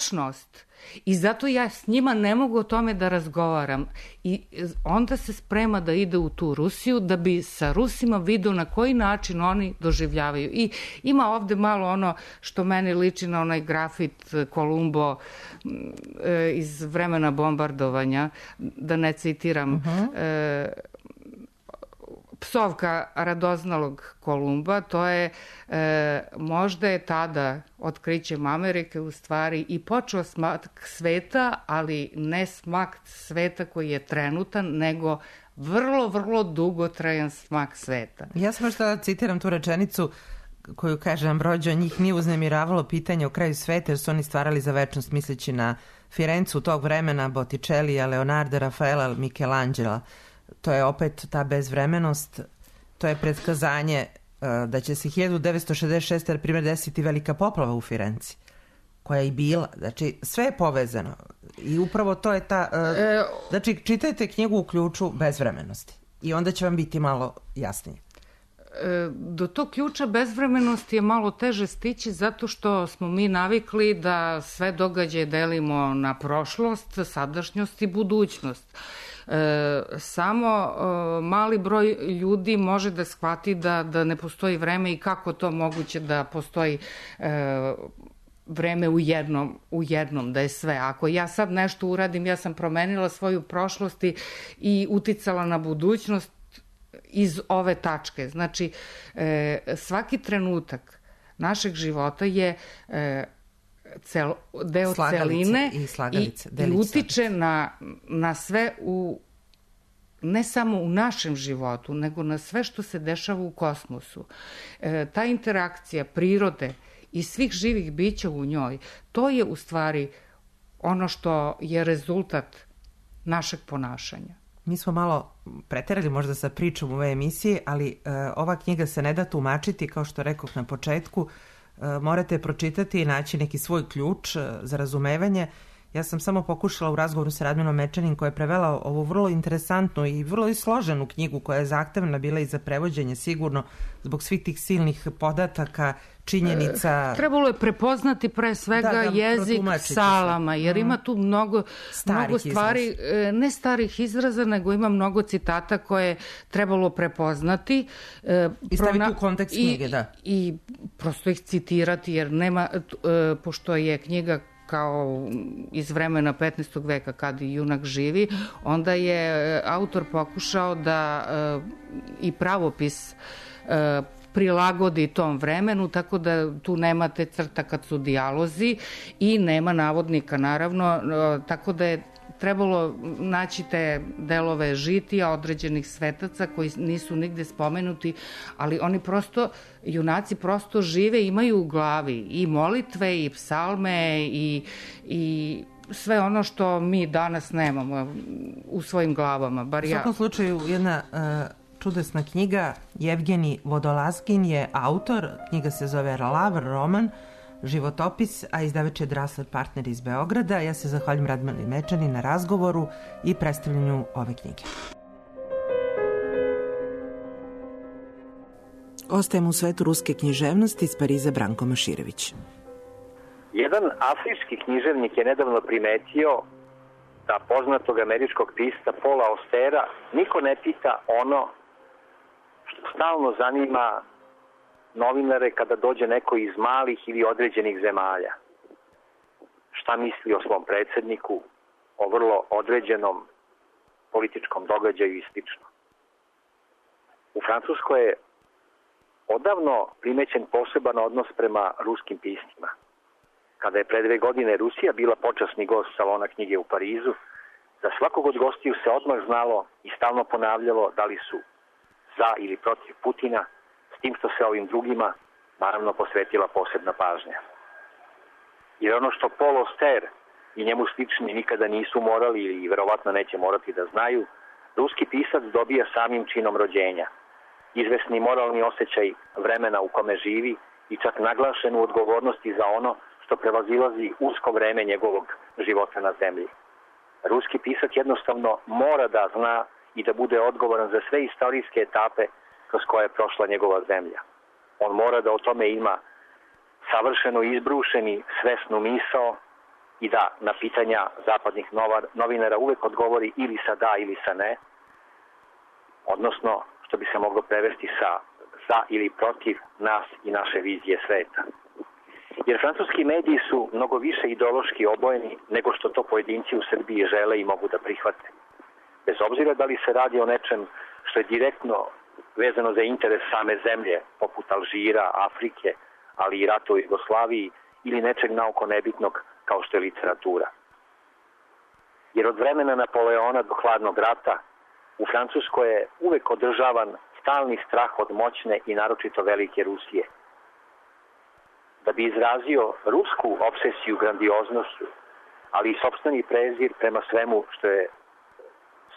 D: i zato ja s njima ne mogu o tome da razgovaram i onda se sprema da ide u tu Rusiju da bi sa Rusima vidio na koji način oni doživljavaju i ima ovde malo ono što meni liči na onaj grafit Kolumbo iz vremena bombardovanja, da ne citiram, uh-huh. e, psovka radoznalog Kolumba, to je, e, možda je tada otkrićem Amerike u stvari i počeo smak sveta, ali ne smak sveta koji je trenutan, nego vrlo, vrlo dugotrajan smak sveta.
C: Ja sam što citiram tu rečenicu koju kaže Ambrođo, njih nije uznemiravalo pitanje o kraju sveta jer su oni stvarali za večnost misleći na Firencu tog vremena, Botticellia, Leonarda, Rafaela, Michelangela. To je opet ta bezvremenost, to je predskazanje da će se hiljadu devetsto šezdeset šeste. na primjer desiti velika poplava u Firenci, koja je i bila. Znači, sve je povezano. I upravo to je ta... E, znači, čitajte knjigu u ključu bezvremenosti. I onda će vam biti malo jasnije.
D: Do tog ključa bezvremenosti je malo teže stići zato što smo mi navikli da sve događaje delimo na prošlost, sadašnjost i budućnost. E, samo e, mali broj ljudi može da shvati da, da ne postoji vreme i kako to moguće da postoji e, vreme u jednom, u jednom, da je sve. Ako ja sad nešto uradim, ja sam promenila svoju prošlost i uticala na budućnost iz ove tačke. Znači, e, svaki trenutak našeg života je e, cel, deo
C: slagalice
D: celine
C: i, slagalice,
D: i, i utiče na, na sve u ne samo u našem životu, nego na sve što se dešava u kosmosu. E, ta interakcija prirode i svih živih bića u njoj, to je u stvari ono što je rezultat našeg ponašanja.
C: Mi smo malo preterali možda sa pričom u ove emisije, ali e, ova knjiga se ne da tumačiti, kao što rekoh na početku, e, morate pročitati i naći neki svoj ključ e, za razumevanje. Ja sam samo pokušala u razgovoru sa Radminom Mečanin, koja je prevela ovu vrlo interesantnu i vrlo i složenu knjigu, koja je zahtevna bila i za prevođenje sigurno, zbog svih tih silnih podataka, činjenica.
D: E, trebalo je prepoznati pre svega da, da, jezik psalama, jer mm. ima tu mnogo, mnogo stvari, izraz. Ne starih izraza, nego ima mnogo citata koje trebalo prepoznati. E,
C: I staviti prona... u kontekst knjige, da.
D: I prosto ih citirati, jer nema, e, pošto je knjiga kao iz vremena petnaestog veka kad i junak živi, onda je autor pokušao da e, i pravopis e, prilagodi tom vremenu, tako da tu nemate crta kad su dijalozi i nema navodnika, naravno, e, tako da je trebalo naći te delove žitija određenih svetaca koji nisu nigde spomenuti, ali oni prosto, junaci prosto žive, imaju u glavi i molitve i psalme i, i sve ono što mi danas nemamo u svojim glavama. Bar
C: u svakom ja. slučaju jedna uh, čudesna knjiga. Jevgenij Vodolazkin je autor, knjiga se zove Lavr, roman, životopis, a izdavač je Drasler Partner iz Beograda. Ja se zahvaljujem Radmili Mečani na razgovoru i predstavljanju ove knjige. Ostajemo u svetu ruske književnosti iz Pariza, Branko Maširević.
E: Jedan afrički književnik je nedavno primetio da poznatog američkog pisca Paula Austera niko ne pita ono što stalno zanima novinare kada dođe neko iz malih ili određenih zemalja. Šta misli o svom predsjedniku, o vrlo određenom političkom događaju i slično. U Francuskoj je odavno primećen poseban odnos prema ruskim piscima. Kada je pre dve godine Rusija bila počasni gost Salona knjige u Parizu, za svakog od gostiju se odmah znalo i stalno ponavljalo da li su za ili protiv Putina, s tim što se ovim drugima naravno posvetila posebna pažnja. Jer ono što Paul Auster i njemu slični nikada nisu morali ili verovatno neće morati da znaju, ruski pisac dobija samim činom rođenja. Izvesni moralni osjećaj vremena u kome živi i čak naglašenu odgovornost i za ono što prevazilazi usko vreme njegovog života na zemlji. Ruski pisac jednostavno mora da zna i da bude odgovoran za sve istorijske etape kroz koje je prošla njegova zemlja. On mora da o tome ima savršeno izbrušeni svesnu misao i da na pitanja zapadnih novinara uvek odgovori ili sa da ili sa ne, odnosno što bi se moglo prevesti sa za ili protiv nas i naše vizije sveta. Jer francuski mediji su mnogo više ideološki obojeni nego što to pojedinci u Srbiji žele i mogu da prihvate. Bez obzira da li se radi o nečem što je direktno vezano za interes same zemlje, poput Alžira, Afrike, ali i rata u Jugoslaviji, ili nečeg naoko nebitnog kao što je literatura. Jer od vremena Napoleona do hladnog rata u Francuskoj je uvek održavan stalni strah od moćne i naročito velike Rusije. Da bi izrazio rusku obsesiju grandioznošću, ali i sopstveni prezir prema svemu što je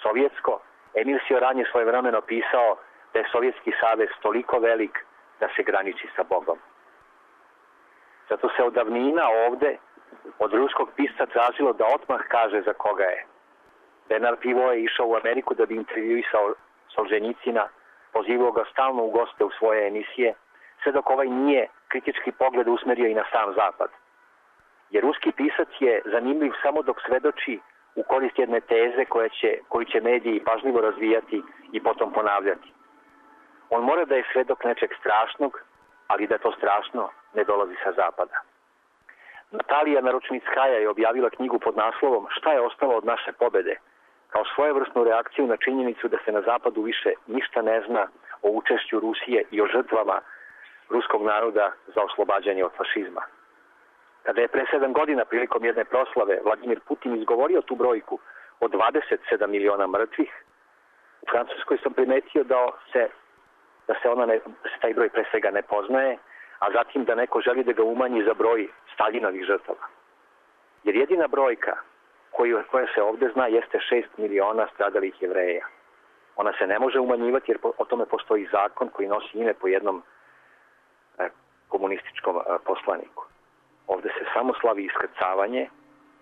E: sovjetsko, Emil Cioran je svojevremeno pisao da je Sovjetski savez toliko velik da da se graniči sa Bogom. Zato se od davnina ovde od ruskog pisca tražilo da odmah kaže za koga je. Bernard Pivot je išao u Ameriku da bi intervjuisao Solženjicina, pozivao ga stalno u goste u svoje emisije, sve dok ovaj nije kritički pogled usmerio i na sam zapad. Jer ruski pisac je zanimljiv samo dok svedoči u korist jedne teze koje će, koju će mediji pažljivo razvijati i potom ponavljati. On mora da je svedok nečeg strašnog, ali da to strašno ne dolazi sa zapada. Natalija Naručnickaja je objavila knjigu pod naslovom Šta je ostalo od naše pobede, kao svojevrsnu reakciju na činjenicu da se na zapadu više ništa ne zna o učešću Rusije i o žrtvama ruskog naroda za oslobađanje od fašizma. Kada je pre sedam godina prilikom jedne proslave Vladimir Putin izgovorio tu brojku od dvadeset sedam miliona mrtvih, u Francuskoj sam primetio da se, da se, ona ne, da se taj broj pre svega ne poznaje, a zatim da neko želi da ga umanji za broj Staljinovih žrtava. Jer jedina brojka koju, koja se ovde zna jeste šest miliona stradalih Jevreja. Ona se ne može umanjivati jer po, o tome postoji zakon koji nosi ime po jednom e, komunističkom e, poslaniku. Ovde se samo slavi iskrcavanje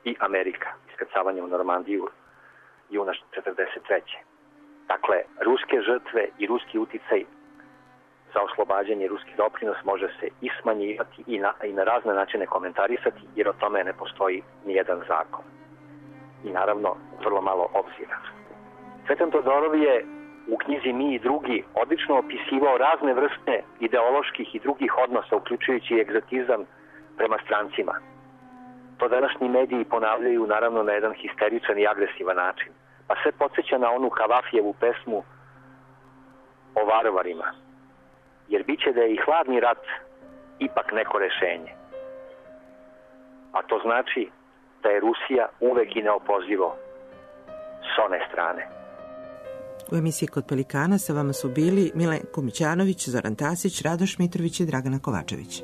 E: i Amerika, iskrcavanje u Normandiju juna četrdeset treće. Dakle, ruske žrtve i ruski uticaj za oslobađanje, ruski doprinos može se i smanjivati i na, i na razne načine komentarisati, jer o tome ne postoji nijedan zakon. I naravno, vrlo malo obzira. Cvetan Todorov je u knjizi Mi i drugi odlično opisivao razne vrste ideoloških i drugih odnosa, uključujući i egzotizam prema strancima. To današnji mediji ponavljaju naravno na jedan histeričan i agresivan način. Pa sve podsjeća na onu Kavafijevu pesmu o varvarima. Jer bit će da je i hladni rat ipak neko rešenje. A to znači da je Rusija uvek i neopozivo s one strane.
C: U emisiji Kod Pelikana sa vama su bili Milenko Mićanović, Zoran Tasić, Radoš Mitrović i Dragana Kovačević.